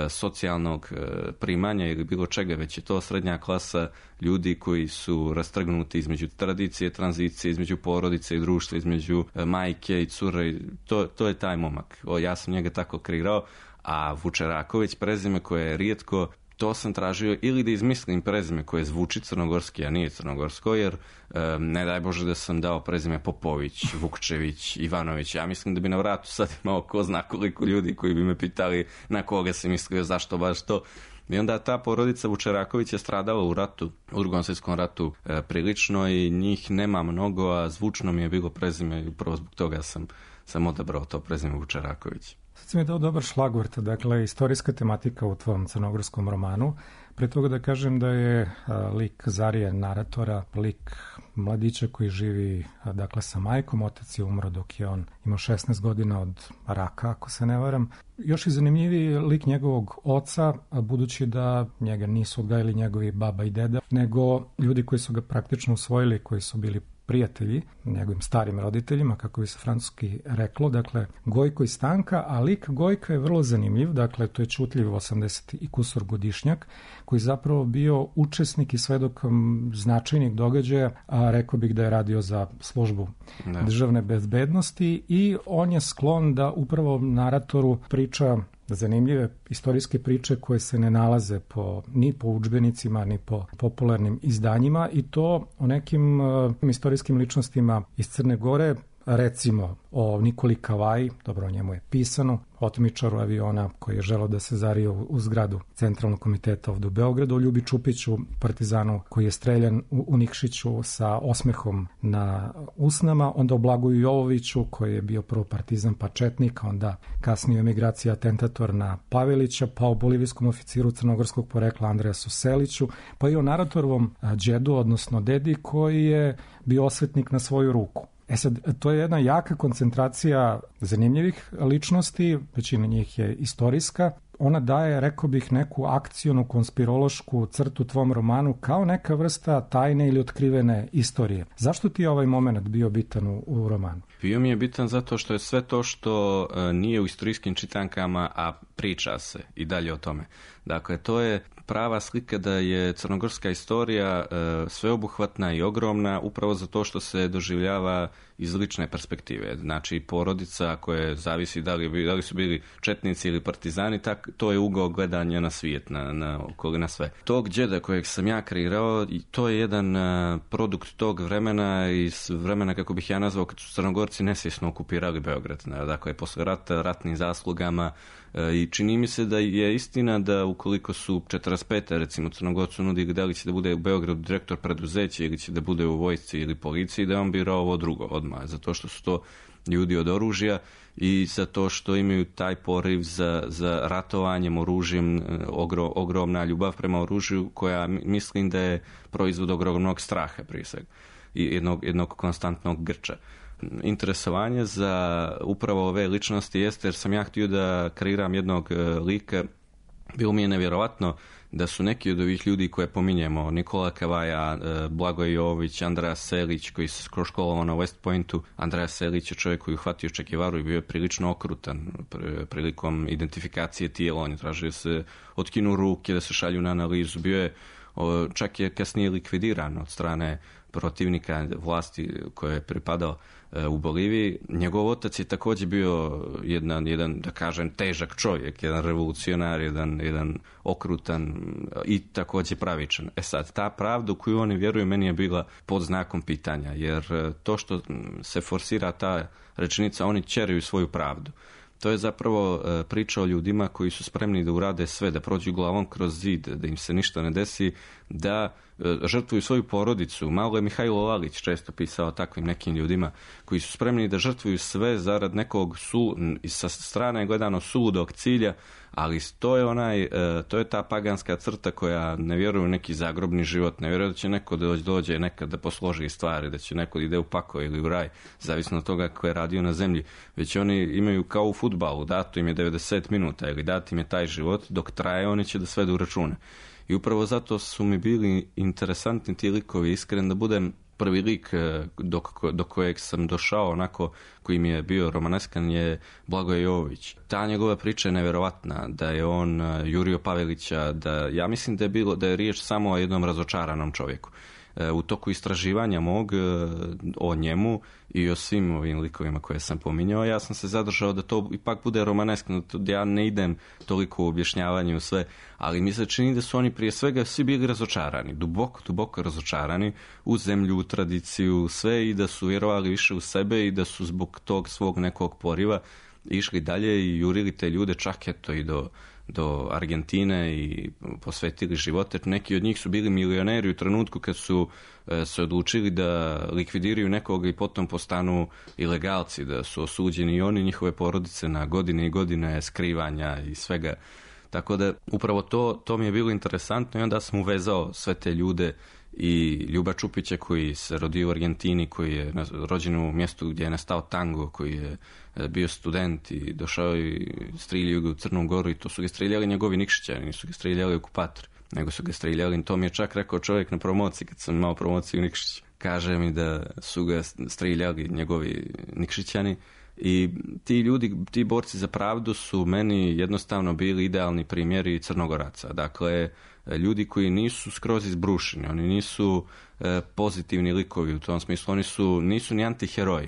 socijalnog uh, primanja ili bilo čega, već je to srednja klasa ljudi koji su rastrgnuti između tradicije, tranzicije, između porodice i društva, između uh, majke i cure. To, to je taj momak. O, ja sam njega tako kreirao. A Vučeraković, prezime koje je rijetko, to sam tražio ili da izmislim prezime koje zvuči crnogorski, a nije crnogorsko, jer e, ne daj Bože da sam dao prezime Popović, Vukčević, Ivanović. Ja mislim da bi na vratu sad imao ko zna koliko ljudi koji bi me pitali na koga se mislio, zašto baš to. I onda ta porodica Vučeraković je stradala u ratu, u Drugom svjetskom ratu e, prilično i njih nema mnogo, a zvučno mi je bilo prezime i upravo zbog toga sam, sam odabrao to prezime Vučeraković. Sad si mi dao dobar šlagvort, dakle, istorijska tematika u tvom crnogorskom romanu. Pre toga da kažem da je a, lik Zarije, naratora, lik mladića koji živi, a, dakle, sa majkom. Otac je umro dok je on imao šesnaest godina od raka, ako se ne varam. Još i zanimljiviji lik njegovog oca, a, budući da njega nisu odgajili njegovi baba i deda, nego ljudi koji su ga praktično usvojili, koji su bili prijatelji, njegovim starim roditeljima, kako bi se francuski reklo, dakle, Gojko i Stanka, a lik Gojka je vrlo zanimljiv, dakle, to je čutljiv osamdeset i kusur godišnjak, koji zapravo bio učesnik i svedok značajnih događaja, a rekao bih da je radio za službu ne. državne bezbednosti i on je sklon da upravo naratoru priča zanimljive istorijske priče koje se ne nalaze po, ni po udžbenicima, ni po popularnim izdanjima i to o nekim uh, istorijskim ličnostima iz Crne Gore, recimo o Nikoli Kavaji, dobro o njemu je pisano, otmičaru aviona koji je želeo da se zario u zgradu Centralnog komiteta ovdje u Beogradu, o Ljubi Čupiću, partizanu koji je streljan u, u Nikšiću sa osmehom na usnama, onda o Blagoju Jovoviću koji je bio prvo partizan pa četnik, onda kasnije u emigraciji atentator na Pavelića, pa o bolivijskom oficiru crnogorskog porekla Andreasu Seliću, pa i o naratorovom džedu, odnosno dedi koji je bio osvetnik na svoju ruku. E sad, to je jedna jaka koncentracija zanimljivih ličnosti, većina njih je istorijska. Ona daje, rekao bih, neku akcionu, konspirološku crtu tvom romanu kao neka vrsta tajne ili otkrivene istorije. Zašto ti je ovaj moment bio bitan u, u romanu? Bio mi je bitan zato što je sve to što uh, nije u istorijskim čitankama, a priča se i dalje o tome. Dakle, to je prava slika da je crnogorska istorija uh, sveobuhvatna i ogromna upravo zato što se doživljava iz lične perspektive. Znači, porodica koje zavisi da li, da li su bili četnici ili partizani, tak, to je ugao gledanja na svijet, na, na, na sve. Tog džeda kojeg sam ja kreirao, to je jedan uh, produkt tog vremena, iz vremena, kako bih ja nazvao, kad su Crnogorci nesvjesno okupirali Beograd. Dakle, posle rata, ratnim zaslugama, i čini mi se da je istina da ukoliko su četrdeset pete recimo Crnogorcu nudili da li će da bude u Beogradu direktor preduzeća ili će da bude u vojsci ili policiji, da je on birao ovo drugo odmah, zato što su to ljudi od oružja i zato što imaju taj poriv za, za ratovanjem, oružjem, ogro, ogromna ljubav prema oružju koja mislim da je proizvod ogromnog straha prije svega i jednog, jednog konstantnog grča. Interesovanje za upravo ove ličnosti jeste jer sam ja htio da kreiram jednog lika. Bilo mi je nevjerovatno da su neki od ovih ljudi koje pominjemo, Nikola Kavaja, Blagoje Jovović, Andreja Selić koji se školovao na West Pointu. Andreja Selić je čovjek koji je uhvatio Che Guevaru i bio je prilično okrutan prilikom identifikacije tijela. On je tražio se otkinu ruke, da se šalju na analizu. Bio je, čak je kasnije likvidiran od strane protivnika vlasti koje je pripadao u Boliviji. Njegov otac je također bio jedan, jedan da kažem, težak čovjek, jedan revolucionar, jedan, jedan okrutan i također pravičan. E sad, ta pravda u koju oni vjeruju meni je bila pod znakom pitanja, jer to što se forsira ta rečenica, oni ćeraju svoju pravdu. To je zapravo priča o ljudima koji su spremni da urade sve, da prođu glavom kroz zid, da im se ništa ne desi, da žrtvuju svoju porodicu. Malo je Mihajlo Lalić često pisao takvim nekim ljudima koji su spremni da žrtvuju sve zarad nekog su, sa strane gledano suludog cilja, ali to je onaj, to je ta paganska crta koja ne vjeruje u neki zagrobni život, ne vjeruje da će neko dođe, dođe nekad da posloži stvari, da će neko ide u pakao ili u raj, zavisno od toga ko je radio na zemlji, već oni imaju kao u fudbalu, dato im je devedeset minuta ili dat im je taj život, dok traje oni će da svedu račune. I upravo zato su mi bili interesantni ti likovi, iskren da budem. Prvi lik do, do kojeg sam došao, onako, koji mi je bio romaneskan, je Blagoje Jovović. Ta njegova priča je nevjerovatna, da je on jurio Pavelića, da ja mislim da je bilo, da je riječ samo o jednom razočaranom čovjeku. U toku istraživanja mog o njemu i o svim ovim likovima koje sam pominjao, ja sam se zadržao da to ipak bude romaneskno, da ja ne idem toliko u objašnjavanje u sve, ali mi se čini da su oni prije svega svi bili razočarani, duboko, duboko razočarani u zemlju, u tradiciju, sve, i da su vjerovali više u sebe i da su zbog tog svog nekog poriva išli dalje i jurili te ljude čak eto i do do Argentine i posvetili živote. Neki od njih su bili milioneri u trenutku kad su e, se odlučili da likvidiraju nekoga i potom postanu ilegalci, da su osuđeni i oni, njihove porodice, na godine i godine skrivanja i svega. Tako da upravo to, to mi je bilo interesantno i onda sam uvezao sve te ljude i Ljuba Čupića koji se rodio u Argentini, koji je rođen u mjestu gdje je nastao tango, koji je bio student i došao i striljio ga u Crnu Goru, i to su ga striljali njegovi Nikšićani, nisu ga striljali okupatori, nego su ga striljali. To mi je čak rekao čovjek na promociji, kad sam imao promociju u Nikšić. Kaže mi da su ga striljali njegovi Nikšićani. I ti ljudi, ti borci za pravdu su meni jednostavno bili idealni primjeri Crnogoraca. Dakle, ljudi koji nisu skroz izbrušeni, oni nisu e, pozitivni likovi u tom smislu, oni su, nisu ni antiheroji.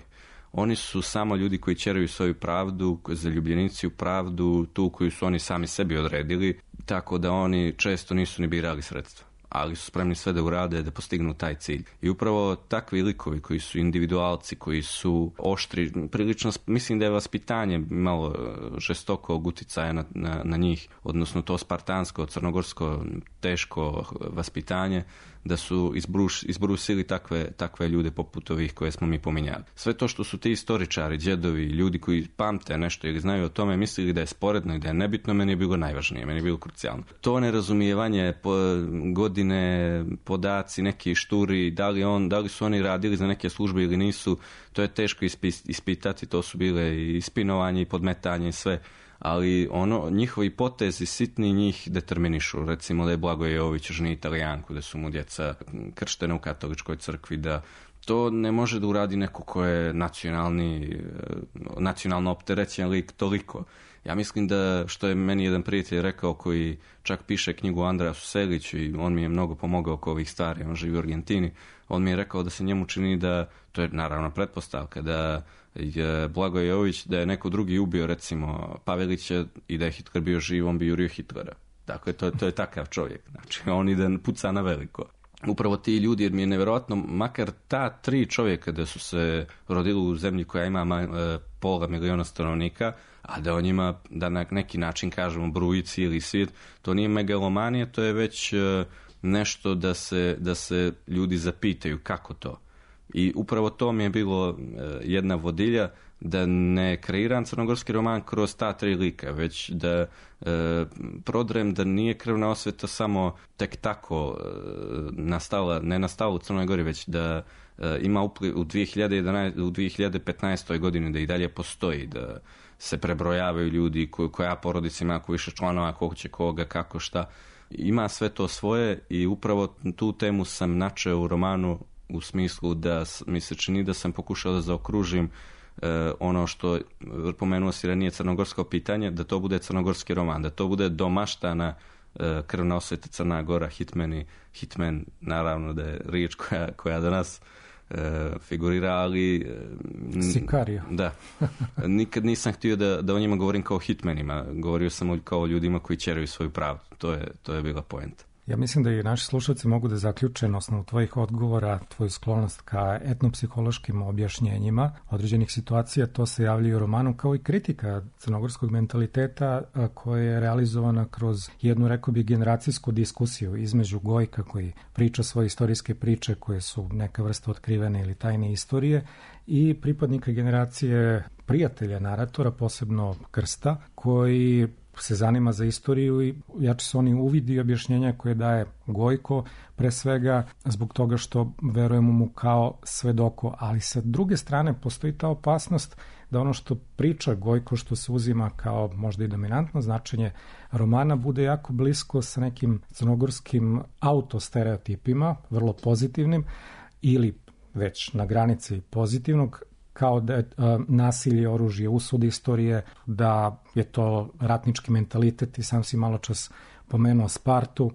Oni su samo ljudi koji ćeraju svoju pravdu, zaljubljenici u pravdu, tu koju su oni sami sebi odredili, tako da oni često nisu ni birali sredstva, ali su spremni sve da urade da postignu taj cilj. I upravo takvi likovi koji su individualci, koji su oštri, prilično, mislim da je vaspitanje malo žestokog uticaja na, na, na njih, odnosno to spartansko, crnogorsko, teško vaspitanje, da su izbruš, izbrusili takve, takve ljude poput ovih koje smo mi pominjali. Sve to što su ti istoričari, djedovi, ljudi koji pamte nešto ili znaju o tome, mislili da je sporedno i da je nebitno, meni je bilo najvažnije, meni je bilo krucijalno. To nerazumijevanje, po, godine, podaci, neki šturi, da li, on, da li su oni radili za neke službe ili nisu, to je teško ispitati, to su bile i ispinovanje i podmetanje i sve. Ali ono, njihovi potezi sitni njih determinišu. Recimo da je Blagoje Jovović ženi Italijanku, da su mu djeca krštene u katoličkoj crkvi, da to ne može da uradi neko ko je nacionalni, nacionalno opterećen lik toliko. Ja mislim da, što je meni jedan prijatelj rekao koji čak piše knjigu o Andreasu Seliću i on mi je mnogo pomogao oko ovih stvari, on živi u Argentini, on mi je rekao da se njemu čini da, to je naravno pretpostavka, da je Blagoje Jovović, da je neko drugi ubio recimo Pavelića i da je Hitler bio živ, on bi jurio Hitlera. Dakle, to, to je takav čovjek. Znači, on ide puca na veliko. Upravo ti ljudi, jer mi je nevjerojatno, makar ta tri čovjeka da su se rodili u zemlji koja ima e, pola miliona stanovnika, a da o njima, da na neki način kažemo bruji cijeli svijet, to nije megalomanija, to je već e, nešto da se, da se ljudi zapitaju kako to. I upravo to mi je bilo e, jedna vodilja, da ne kreiram crnogorski roman kroz ta tri lika, već da e, prodrem da nije krvna osveta samo tek tako e, nastala, ne nastala u Crnoj Gori, već da e, ima upliv u dvije hiljade jedanaeste, u dvije hiljade petnaestoj godini, da i dalje postoji, da se prebrojavaju ljudi, ko, koja porodica ima, ko više članova, ko će koga, kako, šta. Ima sve to svoje i upravo tu temu sam načeo u romanu u smislu da mi se čini da sam pokušao da zaokružim e, ono što pomenuo si ranije, crnogorsko pitanje, da to bude crnogorski roman, da to bude domaštana Krvna osveta Crna Gora, Hitmeni, Hitmen, naravno da je riječ koja, koja danas uh, figurira, ali... Uh, Sikario. Da. Nikad nisam htio da, da o njima govorim kao hitmenima. Govorio sam kao ljudima koji ćeraju svoju pravdu. To je, to je bila poenta. Ja mislim da i naši slušalci mogu da zaključe na osnovu tvojih odgovora, tvoju sklonost ka etnopsihološkim objašnjenjima određenih situacija. To se javlja u romanu kao i kritika crnogorskog mentaliteta koja je realizovana kroz jednu, rekao bi, generacijsku diskusiju između Gojka koji priča svoje istorijske priče koje su neka vrsta otkrivene ili tajne istorije i pripadnika generacije prijatelja naratora, posebno Krsta, koji se zanima za istoriju i jače su oni uvidi i objašnjenja koje daje Gojko, pre svega zbog toga što verujemo mu kao svedoku, ali sa druge strane postoji ta opasnost da ono što priča Gojko, što se uzima kao možda i dominantno značenje romana, bude jako blisko sa nekim crnogorskim autostereotipima, vrlo pozitivnim ili već na granici pozitivnog, kao da je uh, nasilje, oružje, usud istorije, da je to ratnički mentalitet i sam si malo čas pomenuo Spartu, uh,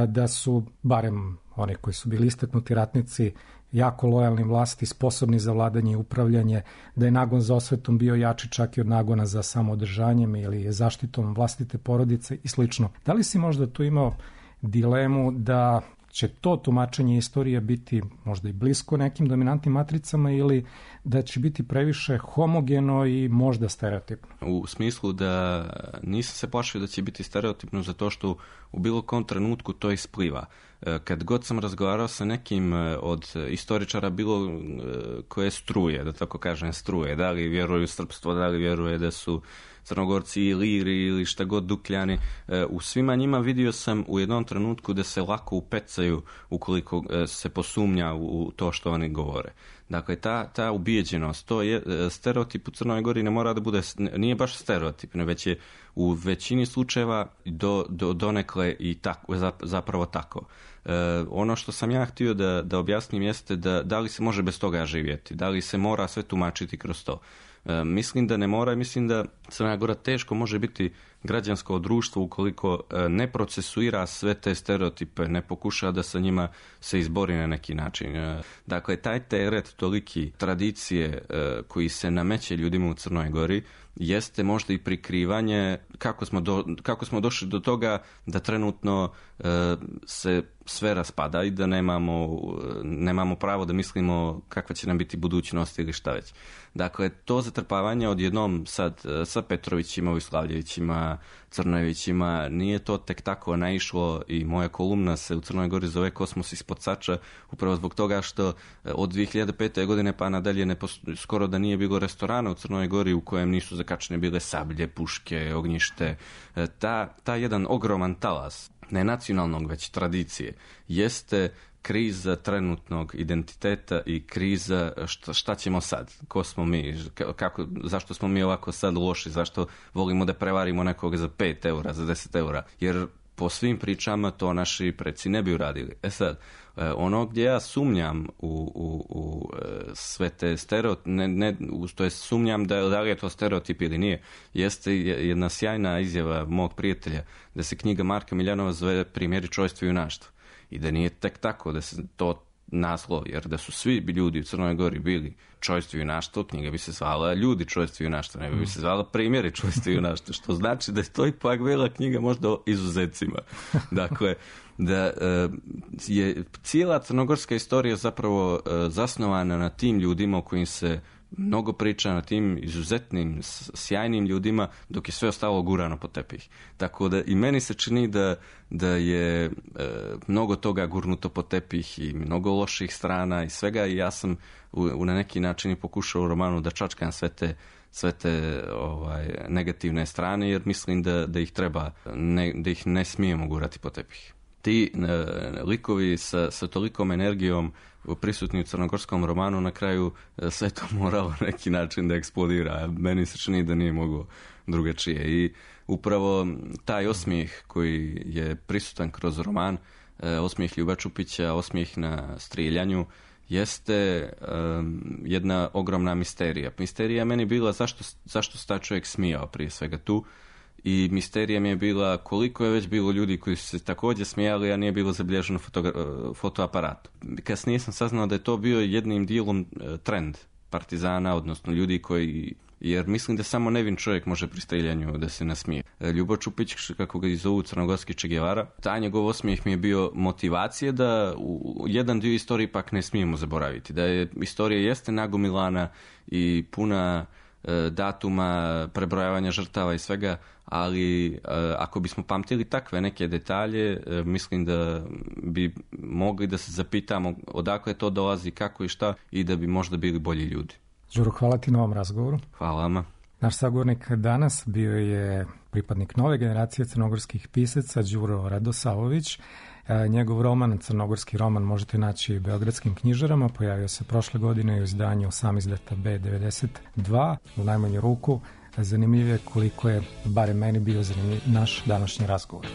da su, barem oni koji su bili istaknuti ratnici, jako lojalni vlasti, sposobni za vladanje i upravljanje, da je nagon za osvetom bio jači čak i od nagona za samoodržanjem ili zaštitom vlastite porodice i slično. Da li si možda tu imao dilemu da će to tumačenje istorije biti možda i blisko nekim dominantnim matricama ili da će biti previše homogeno i možda stereotipno? U smislu da nisam se plašio da će biti stereotipno zato što u bilo kom trenutku to ispliva. Kad god sam razgovarao sa nekim od istoričara bilo koje struje, da tako kažem struje, da li vjeruju u srpstvo, da li vjeruje da su Crnogorci i Iliri ili šta god Dukljani, u svima njima vidio sam u jednom trenutku da se lako upecaju ukoliko se posumnja u to što oni govore. Dakle, ta, ta ubijeđenost, to je stereotip u Crnoj Gori ne mora da bude, nije baš stereotip, ne, već je u većini slučajeva do, do, donekle i tako, zapravo tako. E, ono što sam ja htio da, da objasnim jeste da, da li se može bez toga živjeti, da li se mora sve tumačiti kroz to. E, mislim da ne mora i mislim da Crna Gora teško može biti građansko društvo ukoliko ne procesuira sve te stereotipe, ne pokuša da sa njima se izbori na neki način. Dakle, taj teret toliki tradicije koji se nameće ljudima u Crnoj Gori jeste možda i prikrivanje kako smo, do, kako smo došli do toga da trenutno e, se sve raspada i da nemamo, nemamo pravo da mislimo kakva će nam biti budućnost ili šta već. Dakle, to zatrpavanje odjednom sad sa Petrovićima, Vojslavljevićima, Crnojevićima, nije to tek tako naišlo i moja kolumna se u Crnoj Gori zove Kosmos ispod Sača, upravo zbog toga što od dvije hiljade pete. godine pa nadalje ne posto, skoro da nije bilo restorana u Crnoj Gori u kojem nisu zakačene bile sablje, puške, ognjište. Ta, ta jedan ogroman talas, ne nacionalnog već tradicije, jeste kriza trenutnog identiteta i kriza šta, šta ćemo sad, ko smo mi, kako, zašto smo mi ovako sad loši, zašto volimo da prevarimo nekoga za pet eura, za deset eura, jer po svim pričama to naši preci ne bi uradili. E sad, ono gdje ja sumnjam u, u, u sve te stereotipe, ne, ne, to je sumnjam da, da li je to stereotip ili nije, jeste jedna sjajna izjava mog prijatelja da se knjiga Marka Miljanova zove Primjeri čojstva i junaštva. I da nije tek tako da se to naslov, jer da su svi ljudi u Crnoj Gori bili čojstvo i junaštvo, knjiga bi se zvala Ljudi čojstvo i junaštvo, ne bi se zvala Primjeri čojstva i junaštva, što znači da je to ipak bila knjiga možda o izuzecima. Dakle, da je cijela crnogorska istorija zapravo zasnovana na tim ljudima o kojim se mnogo priča, na tim izuzetnim, sjajnim ljudima, dok je sve ostalo gurano po tepih. Tako da i meni se čini da, da je e, mnogo toga gurnuto po tepih i mnogo loših strana i svega i ja sam u, u na neki način i pokušao u romanu da čačkam sve te sve te ovaj, negativne strane, jer mislim da, da ih treba, ne, da ih ne smijemo gurati po tepih. Ti e, likovi sa, sa tolikom energijom prisutni u crnogorskom romanu, na kraju sve to moralo na neki način da eksplodira. Meni se čini da nije moglo drugačije. I upravo taj osmijeh koji je prisutan kroz roman, osmijeh Ljuba Čupića, osmijeh na strijeljanju, jeste um, jedna ogromna misterija. Misterija je meni bila zašto, zašto se taj čovjek smijao prije svega tu i misterija mi je bila koliko je već bilo ljudi koji su se također smijali, a nije bilo zabilježeno fotogra- fotoaparat. Kasnije sam saznao da je to bio jednim dijelom trend partizana, odnosno ljudi koji, jer mislim da samo nevin čovjek može pri streljanju da se nasmije. Ljubo Čupić, kako ga i zovu, crnogorski Che Guevara, taj njegov osmijeh mi je bio motivacije da u jedan dio istorije ipak ne smijemo zaboraviti. Da je istorija jeste nagomilana i puna e, datuma, prebrojavanja žrtava i svega, ali e, ako bismo pamtili takve neke detalje, e, mislim da bi mogli da se zapitamo odakle to dolazi, kako i šta, i da bi možda bili bolji ljudi. Đuro, hvala ti na ovom razgovoru. Hvala vama. Naš sagovornik danas bio je pripadnik nove generacije crnogorskih pisaca Đuro Radosavović. Njegov roman, crnogorski roman, možete naći u beogradskim knjižarama. Pojavio se prošle godine u izdanju Samizdata B devedeset dva. U najmanju ruku zanimljiv je koliko je, barem meni, bio zanimljiv naš današnji razgovor.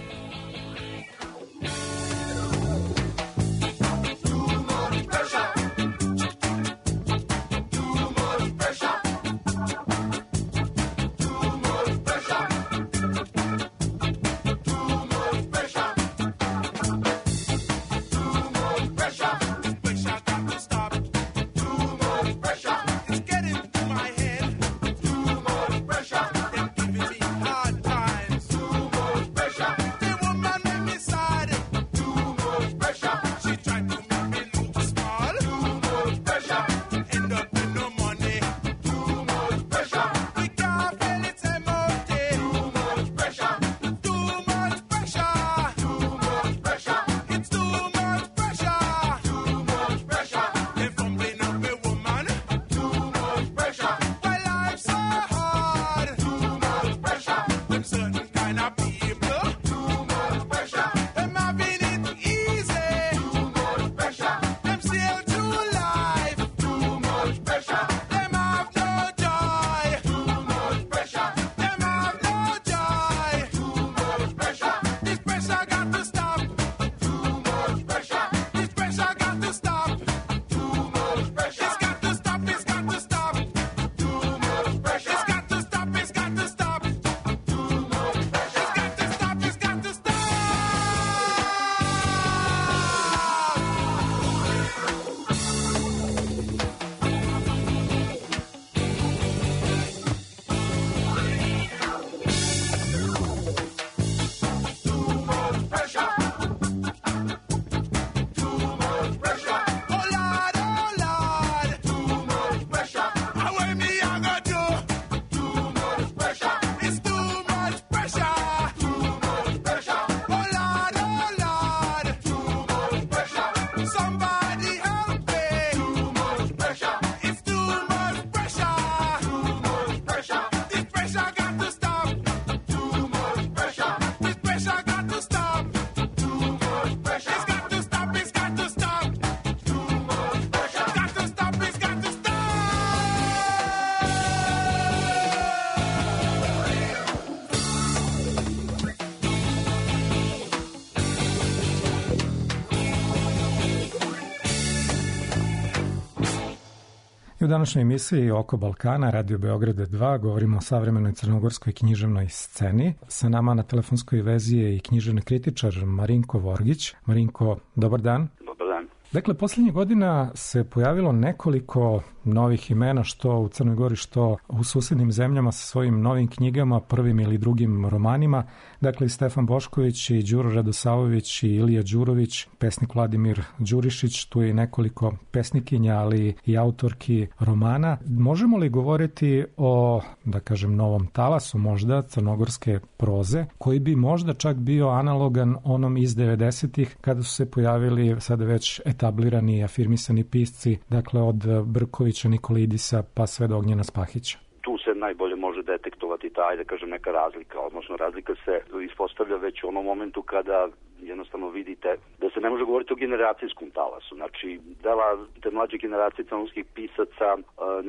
I u današnjoj emisiji Oko Balkana, Radio Beograda dva, govorimo o savremenoj crnogorskoj književnoj sceni. Sa nama na telefonskoj vezi je i književni kritičar Marinko Vorgić. Marinko, dobar dan. Dobar dan. Dakle, posljednjih godina se pojavilo nekoliko novih imena, što u Crnoj Gori, što u susednim zemljama, sa svojim novim knjigama, prvim ili drugim romanima. Dakle, i Stefan Bošković, i Đuro Radosavović, i Ilija Đurović, pesnik Vladimir Đurišić, tu je i nekoliko pesnikinja, ali i autorki romana. Možemo li govoriti o, da kažem, novom talasu možda crnogorske proze, koji bi možda čak bio analogan onom iz devedesetih, kada su se pojavili sada već etablirani i afirmisani pisci, dakle od Brkovića, Nikolidisa pa sve do Ognjena Spahića? Tu se najbolje može detektovati ta, da kažem, neka razlika, odnosno razlika se ispostavlja već u onom momentu kada jednostavno vidite da se ne može govoriti o generacijskom talasu. Znači, dela te mlađe generacije crnogorskih pisaca e,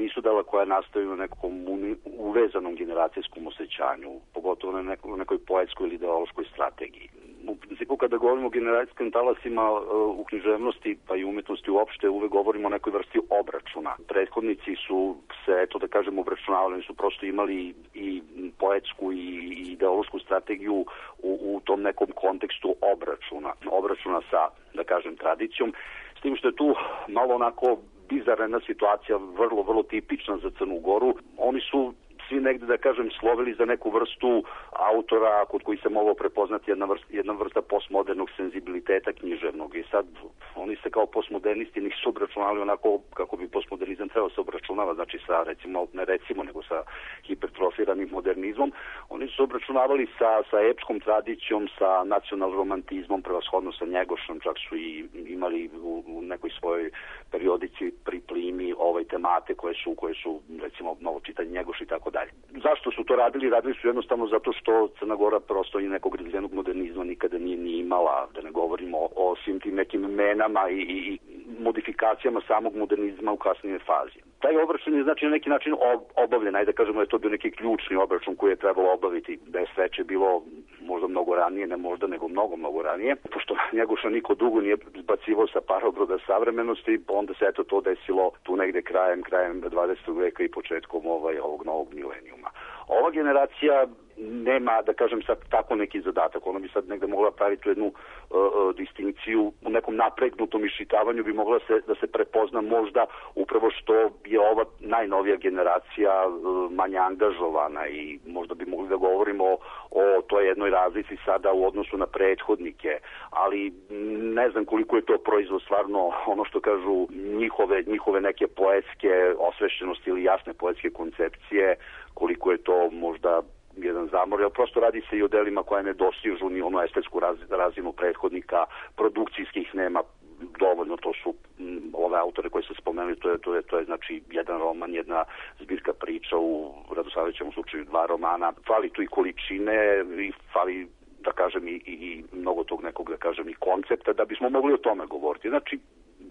nisu dela koja nastaju na nekom uvezanom generacijskom osjećanju, pogotovo na nekoj, nekoj poetskoj ili ideološkoj strategiji. U principu, kada govorimo o generacijskim talasima e, u književnosti, pa i umetnosti uopšte, uvek govorimo o nekoj vrsti obračuna. Prethodnici su se, eto da kažem, obračunavali, su prosto imali i poetsku i ideološku strategiju u, u tom nekom kontekstu obračuna, obračuna sa, da kažem, tradicijom, s tim što je tu malo onako bizarna situacija, vrlo, vrlo tipična za Crnu Goru. Oni su svi negde, da kažem, slovili za neku vrstu autora kod koji se moglo prepoznati jedna vrsta, jedna vrsta postmodernog senzibiliteta književnog. I sad oni se kao postmodernisti nisu obračunali onako kako bi postmodernizam trebao se obračunava, znači sa, recimo, ne recimo, nego sa hipertrofiranim modernizmom. Oni su obračunavali sa, sa epskom tradicijom, sa nacional romantizmom, prevashodno sa Njegošom, čak su i imali u, u nekoj svojoj periodici pri plimi ovaj temate koje su, koje su recimo, malo čitanje Njegoš i tako dalje. Zašto su to radili? Radili su jednostavno zato što Crna Gora prosto i nekog razvijenog modernizma nikada nije ni imala, da ne govorimo o, o svim tim nekim menama i, i, i modifikacijama samog modernizma u kasnije fazi. Taj obračun je znači na neki način obavljen, ajde da kažemo da je to bio neki ključni obračun koji je trebalo obaviti, da je sveče bilo možda mnogo ranije, ne možda, nego mnogo, mnogo ranije, pošto Njegoša niko dugo nije zbacivao sa parobroda savremenosti, onda se eto to desilo tu negde krajem, krajem dvadesetog veka i početkom ovaj, ovog novog milenijuma. Ova generacija nema, da kažem sad, tako neki zadatak. Ona bi sad negde mogla praviti jednu uh, uh, distinkciju u nekom napregnutom iščitavanju bi mogla se, da se prepozna možda upravo što je ova najnovija generacija uh, manje angažovana i možda bi mogli da govorimo o, o toj jednoj razlici sada u odnosu na prethodnike, ali ne znam koliko je to proizvod stvarno ono što kažu njihove, njihove neke poetske osvešćenosti ili jasne poetske koncepcije, koliko je to možda jedan zamor, jer prosto radi se i o delima koje ne dostižu ni onu estetsku raz, razinu prethodnika, produkcijskih nema dovoljno, to su m, ove autore koje se spomenuli, to je, to je, to je znači jedan roman, jedna zbirka priča, u Radosavljevićevom slučaju dva romana, fali tu i količine i fali, da kažem, i, i, i mnogo tog nekog, da kažem, i koncepta, da bismo mogli o tome govoriti. Znači,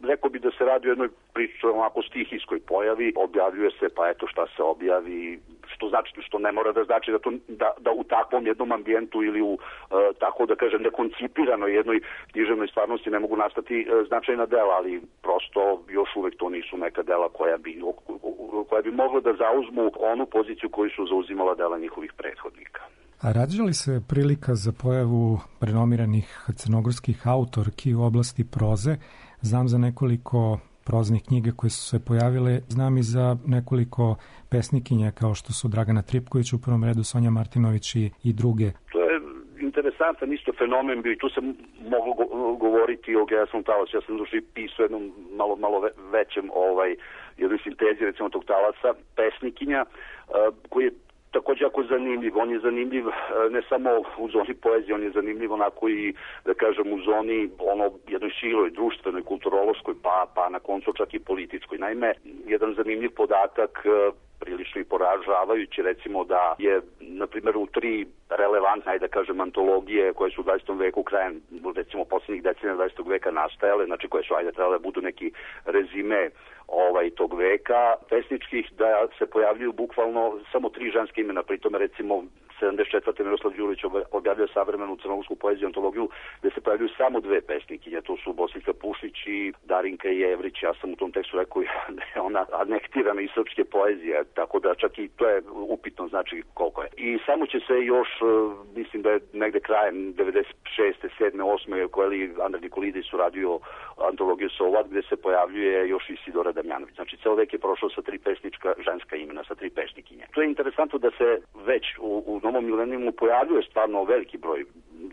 rekao bi da se radi o jednoj priči onako stihijskoj pojavi, objavljuje se, pa eto šta se objavi, što znači, što ne mora da znači da, to, da, da u takvom jednom ambijentu ili u, uh, tako da kažem, nekoncipiranoj jednoj književnoj stvarnosti ne mogu nastati uh, značajna dela, ali prosto još uvek to nisu neka dela koja bi, koja bi mogla da zauzmu onu poziciju koju su zauzimala dela njihovih prethodnika. A rađa li se prilika za pojavu renomiranih crnogorskih autorki u oblasti proze? Znam za nekoliko proznih knjiga koje su se pojavile, znam i za nekoliko pesnikinja kao što su Dragana Tripković, u prvom redu Sonja Martinović i, i druge. To je interesantan isto fenomen bio i tu se moglo go- govoriti o Geasnom talasu. Ja sam duši pisao jednom malo, malo većem ovaj, jednoj sintezi recimo tog talasa, pesnikinja uh, koji je također jako zanimljiv. On je zanimljiv ne samo u zoni poezije, on je zanimljiv onako i, da kažem, u zoni ono jednoj široj, društvenoj, kulturološkoj, pa, pa na koncu čak i političkoj. Naime, jedan zanimljiv podatak, prilično i poražavajući, recimo da je, na primjer, u tri relevantne, da kažem, antologije koje su u dvadesetom veku, krajem, recimo, posljednjih decenija dvadesetog veka nastajale, znači koje su, ajde, trebale da budu neki rezime ovaj tog veka pesničkih, da se pojavljuju bukvalno samo tri ženske imena, pritome recimo sedamdeset četvrte Miroslav Đurović objavljuje savremenu crnogorsku poeziju antologiju gde se pojavljuju samo dve pesnikinje, to su Bosiljka Pušić i Darinka Jevrić. Ja sam u tom tekstu rekao da je ona anektirana iz srpske poezije, tako da čak i to je upitno znači koliko je. I samo će se još, mislim da je negde krajem devedeset šeste, sedme, osme koji Andrej Nikolidis uradio antologiju Sovat gde se pojavljuje još i Isidora Damjanović. Znači, ceo vek je prošao sa tri pesnička ženska imena, sa tri pesnikinje. To je interesantno da se već u, u novom milenijumu pojavljuje stvarno veliki broj.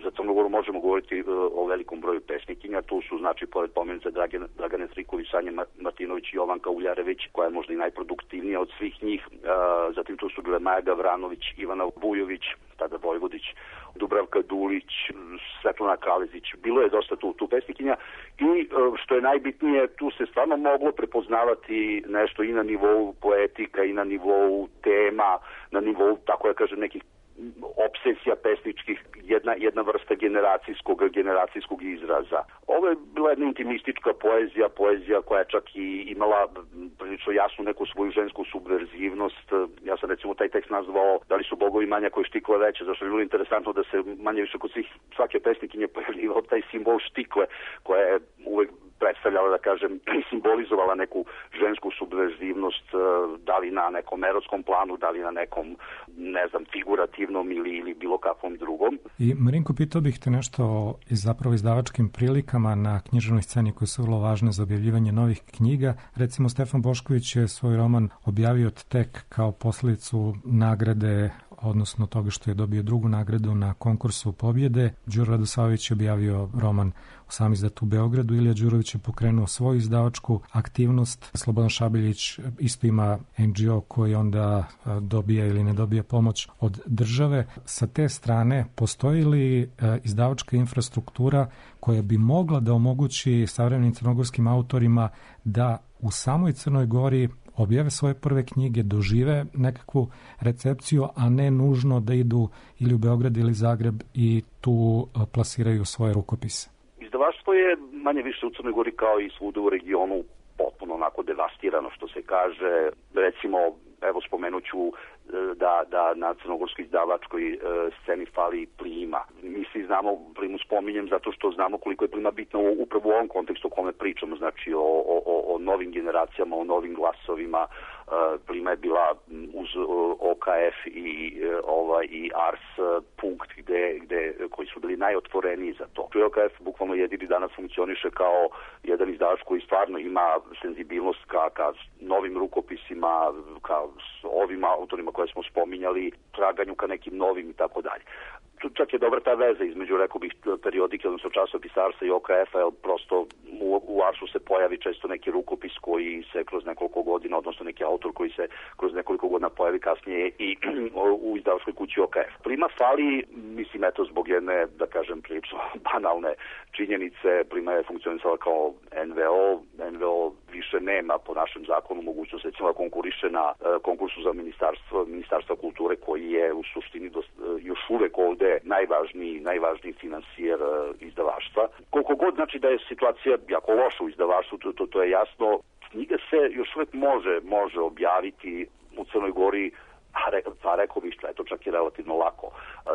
Za Crnogoru možemo govoriti uh, o velikom broju pesnikinja. Tu su, znači, pored pomenuta Dragane, Dragane Triković, Sanja Martinović i Jovanka Uljarević, koja je možda i najproduktivnija od svih njih. Uh, zatim tu su bile Maja Gavranović, Ivana Vujović, tada Vojvodić, Dubravka Dulić, Svetlana Kalezić. Bilo je dosta tu, tu pesnikinja i što je najbitnije, tu se stvarno moglo prepoznavati nešto i na nivou poetika i na nivou tema, na nivou, tako da kažem, nekih obsesija pesničkih, jedna, jedna vrsta generacijskog, generacijskog izraza. Ovo je bila jedna intimistička poezija, poezija koja je čak i imala prilično jasnu neku svoju žensku subverzivnost. Ja sam recimo taj tekst nazvao Da li su bogovi manja koji štikle veće, zašto je bilo interesantno da se manje više kod svih svake pesnikinje pojavljivao taj simbol štikle, koja je uvek predstavljala, da kažem, simbolizovala neku žensku subverzivnost, da li na nekom erotskom planu, da li na nekom, ne znam, figurativnom ili, ili bilo kakvom drugom. I Marinko, pitao bih te nešto o zapravo izdavačkim prilikama na književnoj sceni koje su vrlo važne za objavljivanje novih knjiga. Recimo, Stefan Bošković je svoj roman objavio tek kao posledicu nagrade, odnosno toga što je dobio drugu nagradu na konkursu pobjede. Đuro Radosavljević je objavio roman u samizdat u Beogradu, Ilija Đurović je pokrenuo svoju izdavačku aktivnost, Slobodan Šabiljić isto ima en dži o koji onda dobija ili ne dobija pomoć od države. Sa te strane, postoji li izdavačka infrastruktura koja bi mogla da omogući savremenim crnogorskim autorima da u samoj Crnoj Gori objave svoje prve knjige, dožive nekakvu recepciju, a ne nužno da idu ili u Beograd ili Zagreb i tu plasiraju svoje rukopise? Izdavaštvo je manje više u Crnoj Gori kao i svuda u regionu potpuno onako devastirano, što se kaže. Recimo, evo spomenuću da, da na crnogorskoj izdavačkoj e, sceni fali Plima. Mi svi znamo, Plimu spominjem zato što znamo koliko je Plima bitna u, upravo u ovom kontekstu o kome pričamo, znači o, o, o novim generacijama, o novim glasovima. E, Plima je bila uz o ka ef i, e, ovaj, i Ars punkt gde, gde, koji su bili najotvoreniji za to. o ka ef bukvalno jedini danas funkcioniše kao jedan izdavač koji stvarno ima senzibilnost ka, ka novim rukopisima, ka ovim autorima koje smo spominjali, traganju ka nekim novim i tako dalje. Čak je dobra ta veza između, rekao bih, periodike, odnosno časopisa Arsa i o ka efa, jer prosto u, u Arsu se pojavi često neki rukopis koji se kroz nekoliko godina, odnosno neki autor koji se kroz nekoliko godina pojavi kasnije i u izdavačkoj kući o ka ef. Plima fali, mislim, eto, zbog jedne, da kažem, prilično banalne činjenice. Plima je funkcionisala kao en ve o. en ve o više nema po našem zakonu mogućnost, recimo, da konkuriše na uh, konkursu za ministarstvo, ministarstva kulture, koji je u suštini dost, uh, još uvek ovde najvažniji, najvažniji finansijer uh, izdavaštva. Koliko god znači da je situacija jako loša u izdavaštvu, to, to, to je jasno. Knjiga se još uvek može, može objaviti u Crnoj Gori, a re, pa rekao bih što je to čak i relativno lako.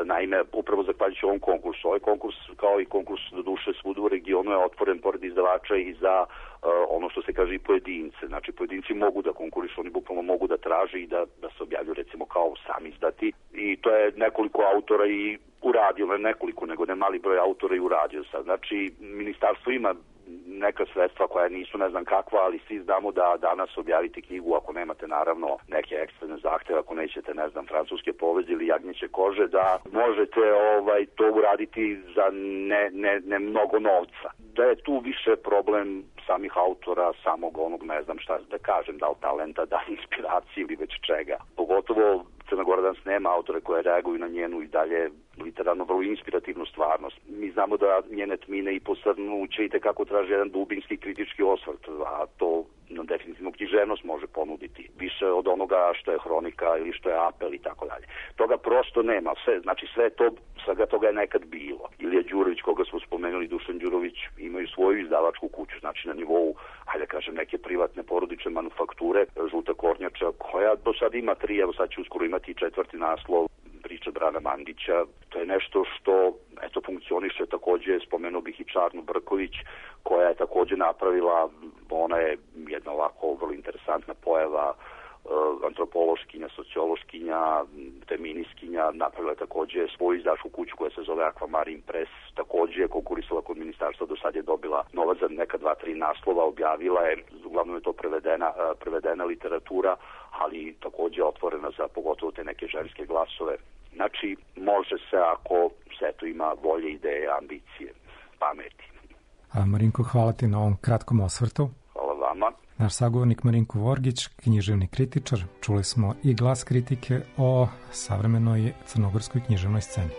Naime, upravo zahvaljujući ovom konkursu, ovaj konkurs, kao i konkurs do duše svuda u regionu, je otvoren pored izdavača i za uh, ono što se kaže i pojedince. Znači, pojedinci mogu da konkurišu, oni bukvalno mogu da traže i da, da se objavlju, recimo, kao sami izdati. I to je nekoliko autora i uradio, ne nekoliko, nego ne mali broj autora i uradio sad. Znači, ministarstvo ima neka sredstva koja nisu ne znam kakva, ali svi znamo da danas objaviti knjigu, ako nemate naravno neke ekstremne zahteve, ako nećete, ne znam, francuske poveze ili jagnjeće kože, da možete ovaj to uraditi za ne, ne, ne mnogo novca. Da je tu više problem samih autora, samog onog, ne znam šta da kažem, da li talenta, da li inspiracije ili već čega. Pogotovo Crna Gora danas nema autore koje reaguju na njenu i dalje literarno vrlo inspirativnu stvarnost. Mi znamo da njene tmine i posrnuće i tekako traže jedan dubinski kritički osvrt, a to no, definitivno književnost može ponuditi. Više od onoga što je hronika ili što je apel i tako dalje. Toga prosto nema. Sve, znači sve to, svega toga je nekad bilo. Ilija Đurović, koga smo spomenuli, Dušan Đurović, imaju svoju izdavačku kuću, znači na nivou, hajde kažem, neke privatne porodične manufakture, Žuta kornjača, koja do sad ima tri, evo sad će uskoro imati i četvrti naslov, Priča Brana Mandića. To je nešto što eto funkcioniše. Takođe spomenuo bih i Čarnu Brković, koja je takođe napravila, ona je jedna ovako vrlo interesantna pojava, antropološkinja, sociološkinja, feminiskinja, napravila je takođe svoju izdavačku kuću koja se zove Aquamarine Press, takođe je konkurisala kod ministarstva, do sad je dobila novac za neka dva, tri naslova, objavila je, uglavnom je to prevedena, prevedena literatura, ali takođe otvorena za pogotovo te neke ženske glasove. Znači, može se ako se to ima volje, ideje, ambicije, pameti. A Marinko, hvala ti na ovom kratkom osvrtu. Hvala vama. Naš sagovornik Marinko Vorgić, književni kritičar, čuli smo i glas kritike o savremenoj crnogorskoj književnoj sceni.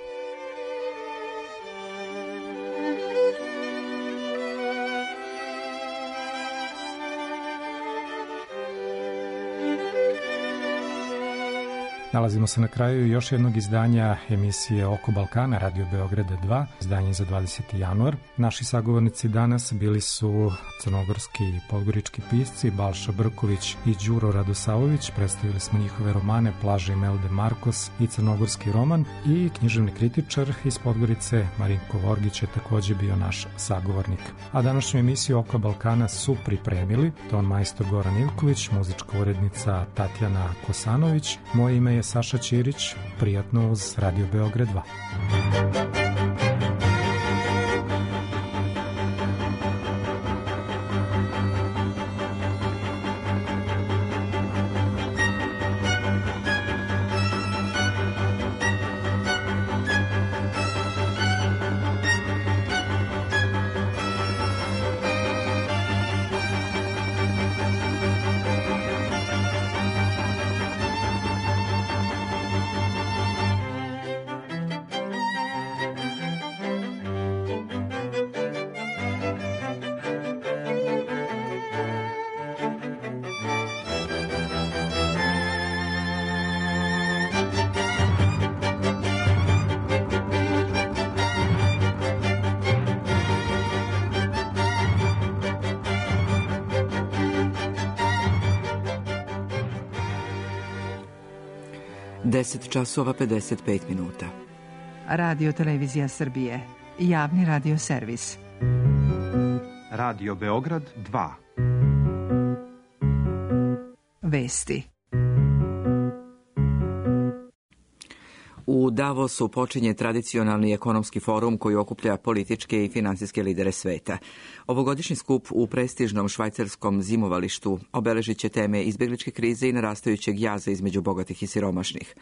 Nalazimo se na kraju još jednog izdanja emisije Oko Balkana, Radio Beograda dva, izdanje za dvadeseti januar. Naši sagovornici danas bili su crnogorski i podgorički pisci Balša Brković i Đuro Radosavović. Predstavili smo njihove romane Plaža Imelda Markos i crnogorski roman, i književni kritičar iz Podgorice Marinko Vorgić je takođe bio naš sagovornik. A današnju emisiju Oko Balkana su pripremili ton majstor Goran Ivković, muzička urednica Tatjana Kosanović. Moje ime je Saša Ćirić, prijatno uz Radio Beograd dva. deset časova pedeset pet minuta. Radio Televizija Srbije, javni radio servis. Radio Beograd dva. Vesti. U Davosu počinje tradicionalni ekonomski forum koji okuplja političke i finansijske lidere sveta. Ovogodišnji skup u prestižnom švajcarskom zimovalištu obeležit će teme izbjegličke krize i narastajućeg jaza između bogatih i siromašnih.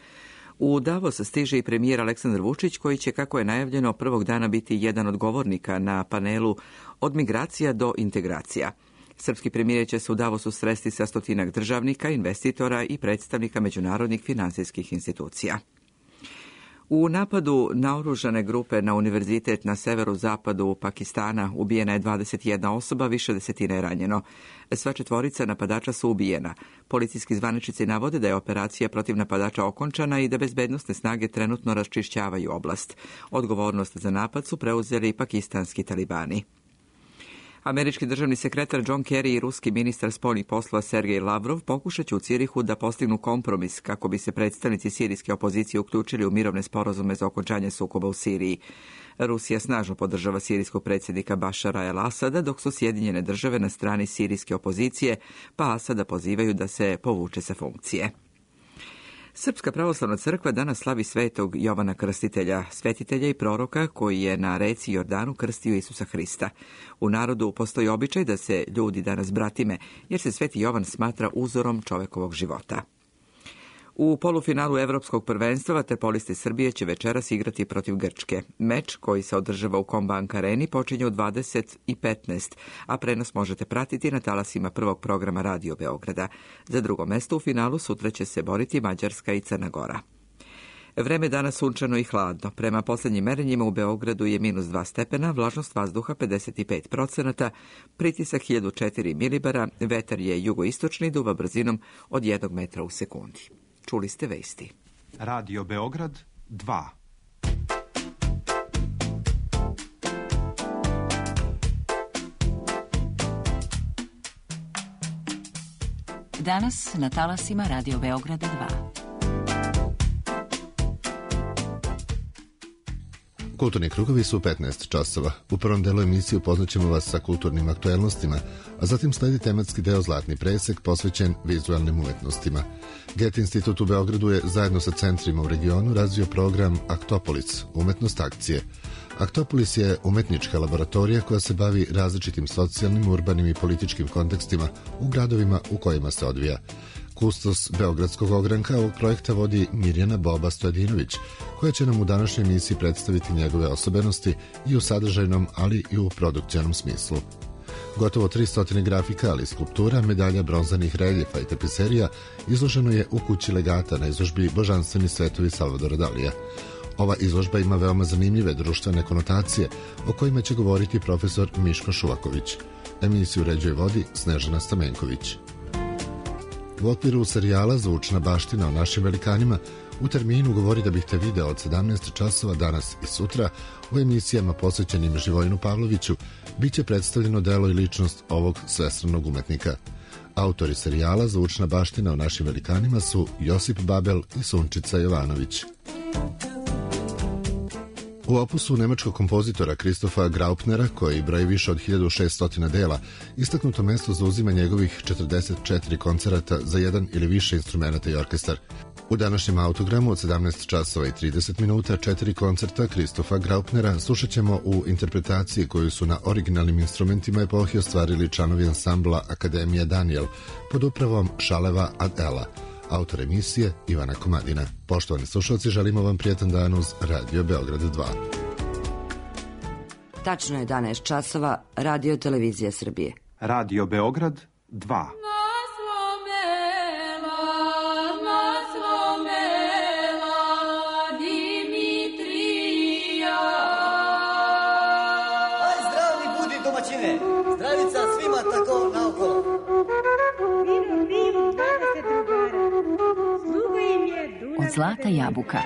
U Davos stiže i premijer Aleksandar Vučić, koji će, kako je najavljeno, prvog dana biti jedan od govornika na panelu Od migracija do integracija. Srpski premijer će se u Davosu sresti sa stotinak državnika, investitora i predstavnika međunarodnih finansijskih institucija. U napadu naoružane grupe na univerzitet na severu-zapadu Pakistana ubijena je dvadeset jedna osoba, više desetina je ranjeno. Sva četvorica napadača su ubijena. Policijski zvaničnici navode da je operacija protiv napadača okončana i da bezbednosne snage trenutno raščišćavaju oblast. Odgovornost za napad su preuzeli i pakistanski talibani. Američki državni sekretar John Kerry i ruski ministar spoljnih poslova Sergej Lavrov pokušat će u Cirihu da postignu kompromis kako bi se predstavnici sirijske opozicije uključili u mirovne sporazume za okončanje sukoba u Siriji. Rusija snažno podržava sirijskog predsjednika Bašara el-Asada, dok su Sjedinjene države na strani sirijske opozicije, pa Asada pozivaju da se povuče sa funkcije. Srpska pravoslavna crkva danas slavi svetog Jovana Krstitelja, svetitelja i proroka koji je na reci Jordanu krstio Isusa Hrista. U narodu postoji običaj da se ljudi danas bratime, jer se sveti Jovan smatra uzorom čovekovog života. U polufinalu Evropskog prvenstva vaterpolisti Srbije će večeras igrati protiv Grčke. Meč koji se održava u Kombank areni počinje u dvadeset i petnaest, a prenos možete pratiti na talasima prvog programa Radio Beograda. Za drugo mesto u finalu sutra će se boriti Mađarska i Crna Gora. Vreme danas sunčano i hladno. Prema posljednjim merenjima u Beogradu je minus dva stepena, vlažnost vazduha pedeset pet procenata, pritisak hiljadu četiri milibara, vetar je jugoistočni, duva brzinom od jednog metra u sekundi. Čuli ste vesti. Radio Beograd dva. Danas na talasima Radio Beograda dva. Kulturni krugovi su u petnaest časova. U prvom delu emisije upoznaćemo vas sa kulturnim aktuelnostima, a zatim sledi tematski deo Zlatni presek posvećen vizualnim umetnostima. Goethe institut u Beogradu je zajedno sa centrima u regionu razvio program Aktopolis, umetnost akcije. Aktopolis je umetnička laboratorija koja se bavi različitim socijalnim, urbanim i političkim kontekstima u gradovima u kojima se odvija. Kustos Beogradskog ogranka ovog projekta vodi Mirjana Boba Stojadinović, koja će nam u današnjoj emisiji predstaviti njegove osobenosti i u sadržajnom, ali i u produkcionom smislu. Gotovo tristo grafika, ali i skulptura, medalja, bronzanih reljefa i tapiserija izloženo je u kući legata na izložbi Božanstveni svetovi Salvadora Dalija. Ova izložba ima veoma zanimljive društvene konotacije o kojima će govoriti profesor Miško Šuvaković. Emisiju uređuje vodi Snežana Stamenković. U okviru serijala Zvučna baština o našim velikanima U terminu Govori da bih te video od sedamnaest časova danas i sutra u emisijama posvećenim Živojinu Pavloviću biće predstavljeno delo i ličnost ovog svestranog umetnika. Autori serijala Zvučna baština o našim velikanima su Josip Babel i Sunčica Jovanović. U opusu nemačkog kompozitora Kristofa Graupnera, koji broji više od hiljadu šessto dela, istaknuto mesto zauzima njegovih četrdeset četiri koncerata za jedan ili više instrumenta i orkestar. U današnjem autogramu od sedamnaest časova i trideset minuta četiri koncerta Kristofa Graupnera slušat ćemo u interpretaciji koju su na originalnim instrumentima epohi ostvarili članovi ansambla Akademija Daniel pod upravom Šaleva ad Ela. Autor emisije Ivana Komadina. Poštovani slušalci, želimo vam prijetan dan uz Radio Beograd dva. Tačno je jedanaest časova, Radio Televizija Srbije. Radio Beograd dva. Zdravica svima tako naokolo. Od Zlata Jabuka.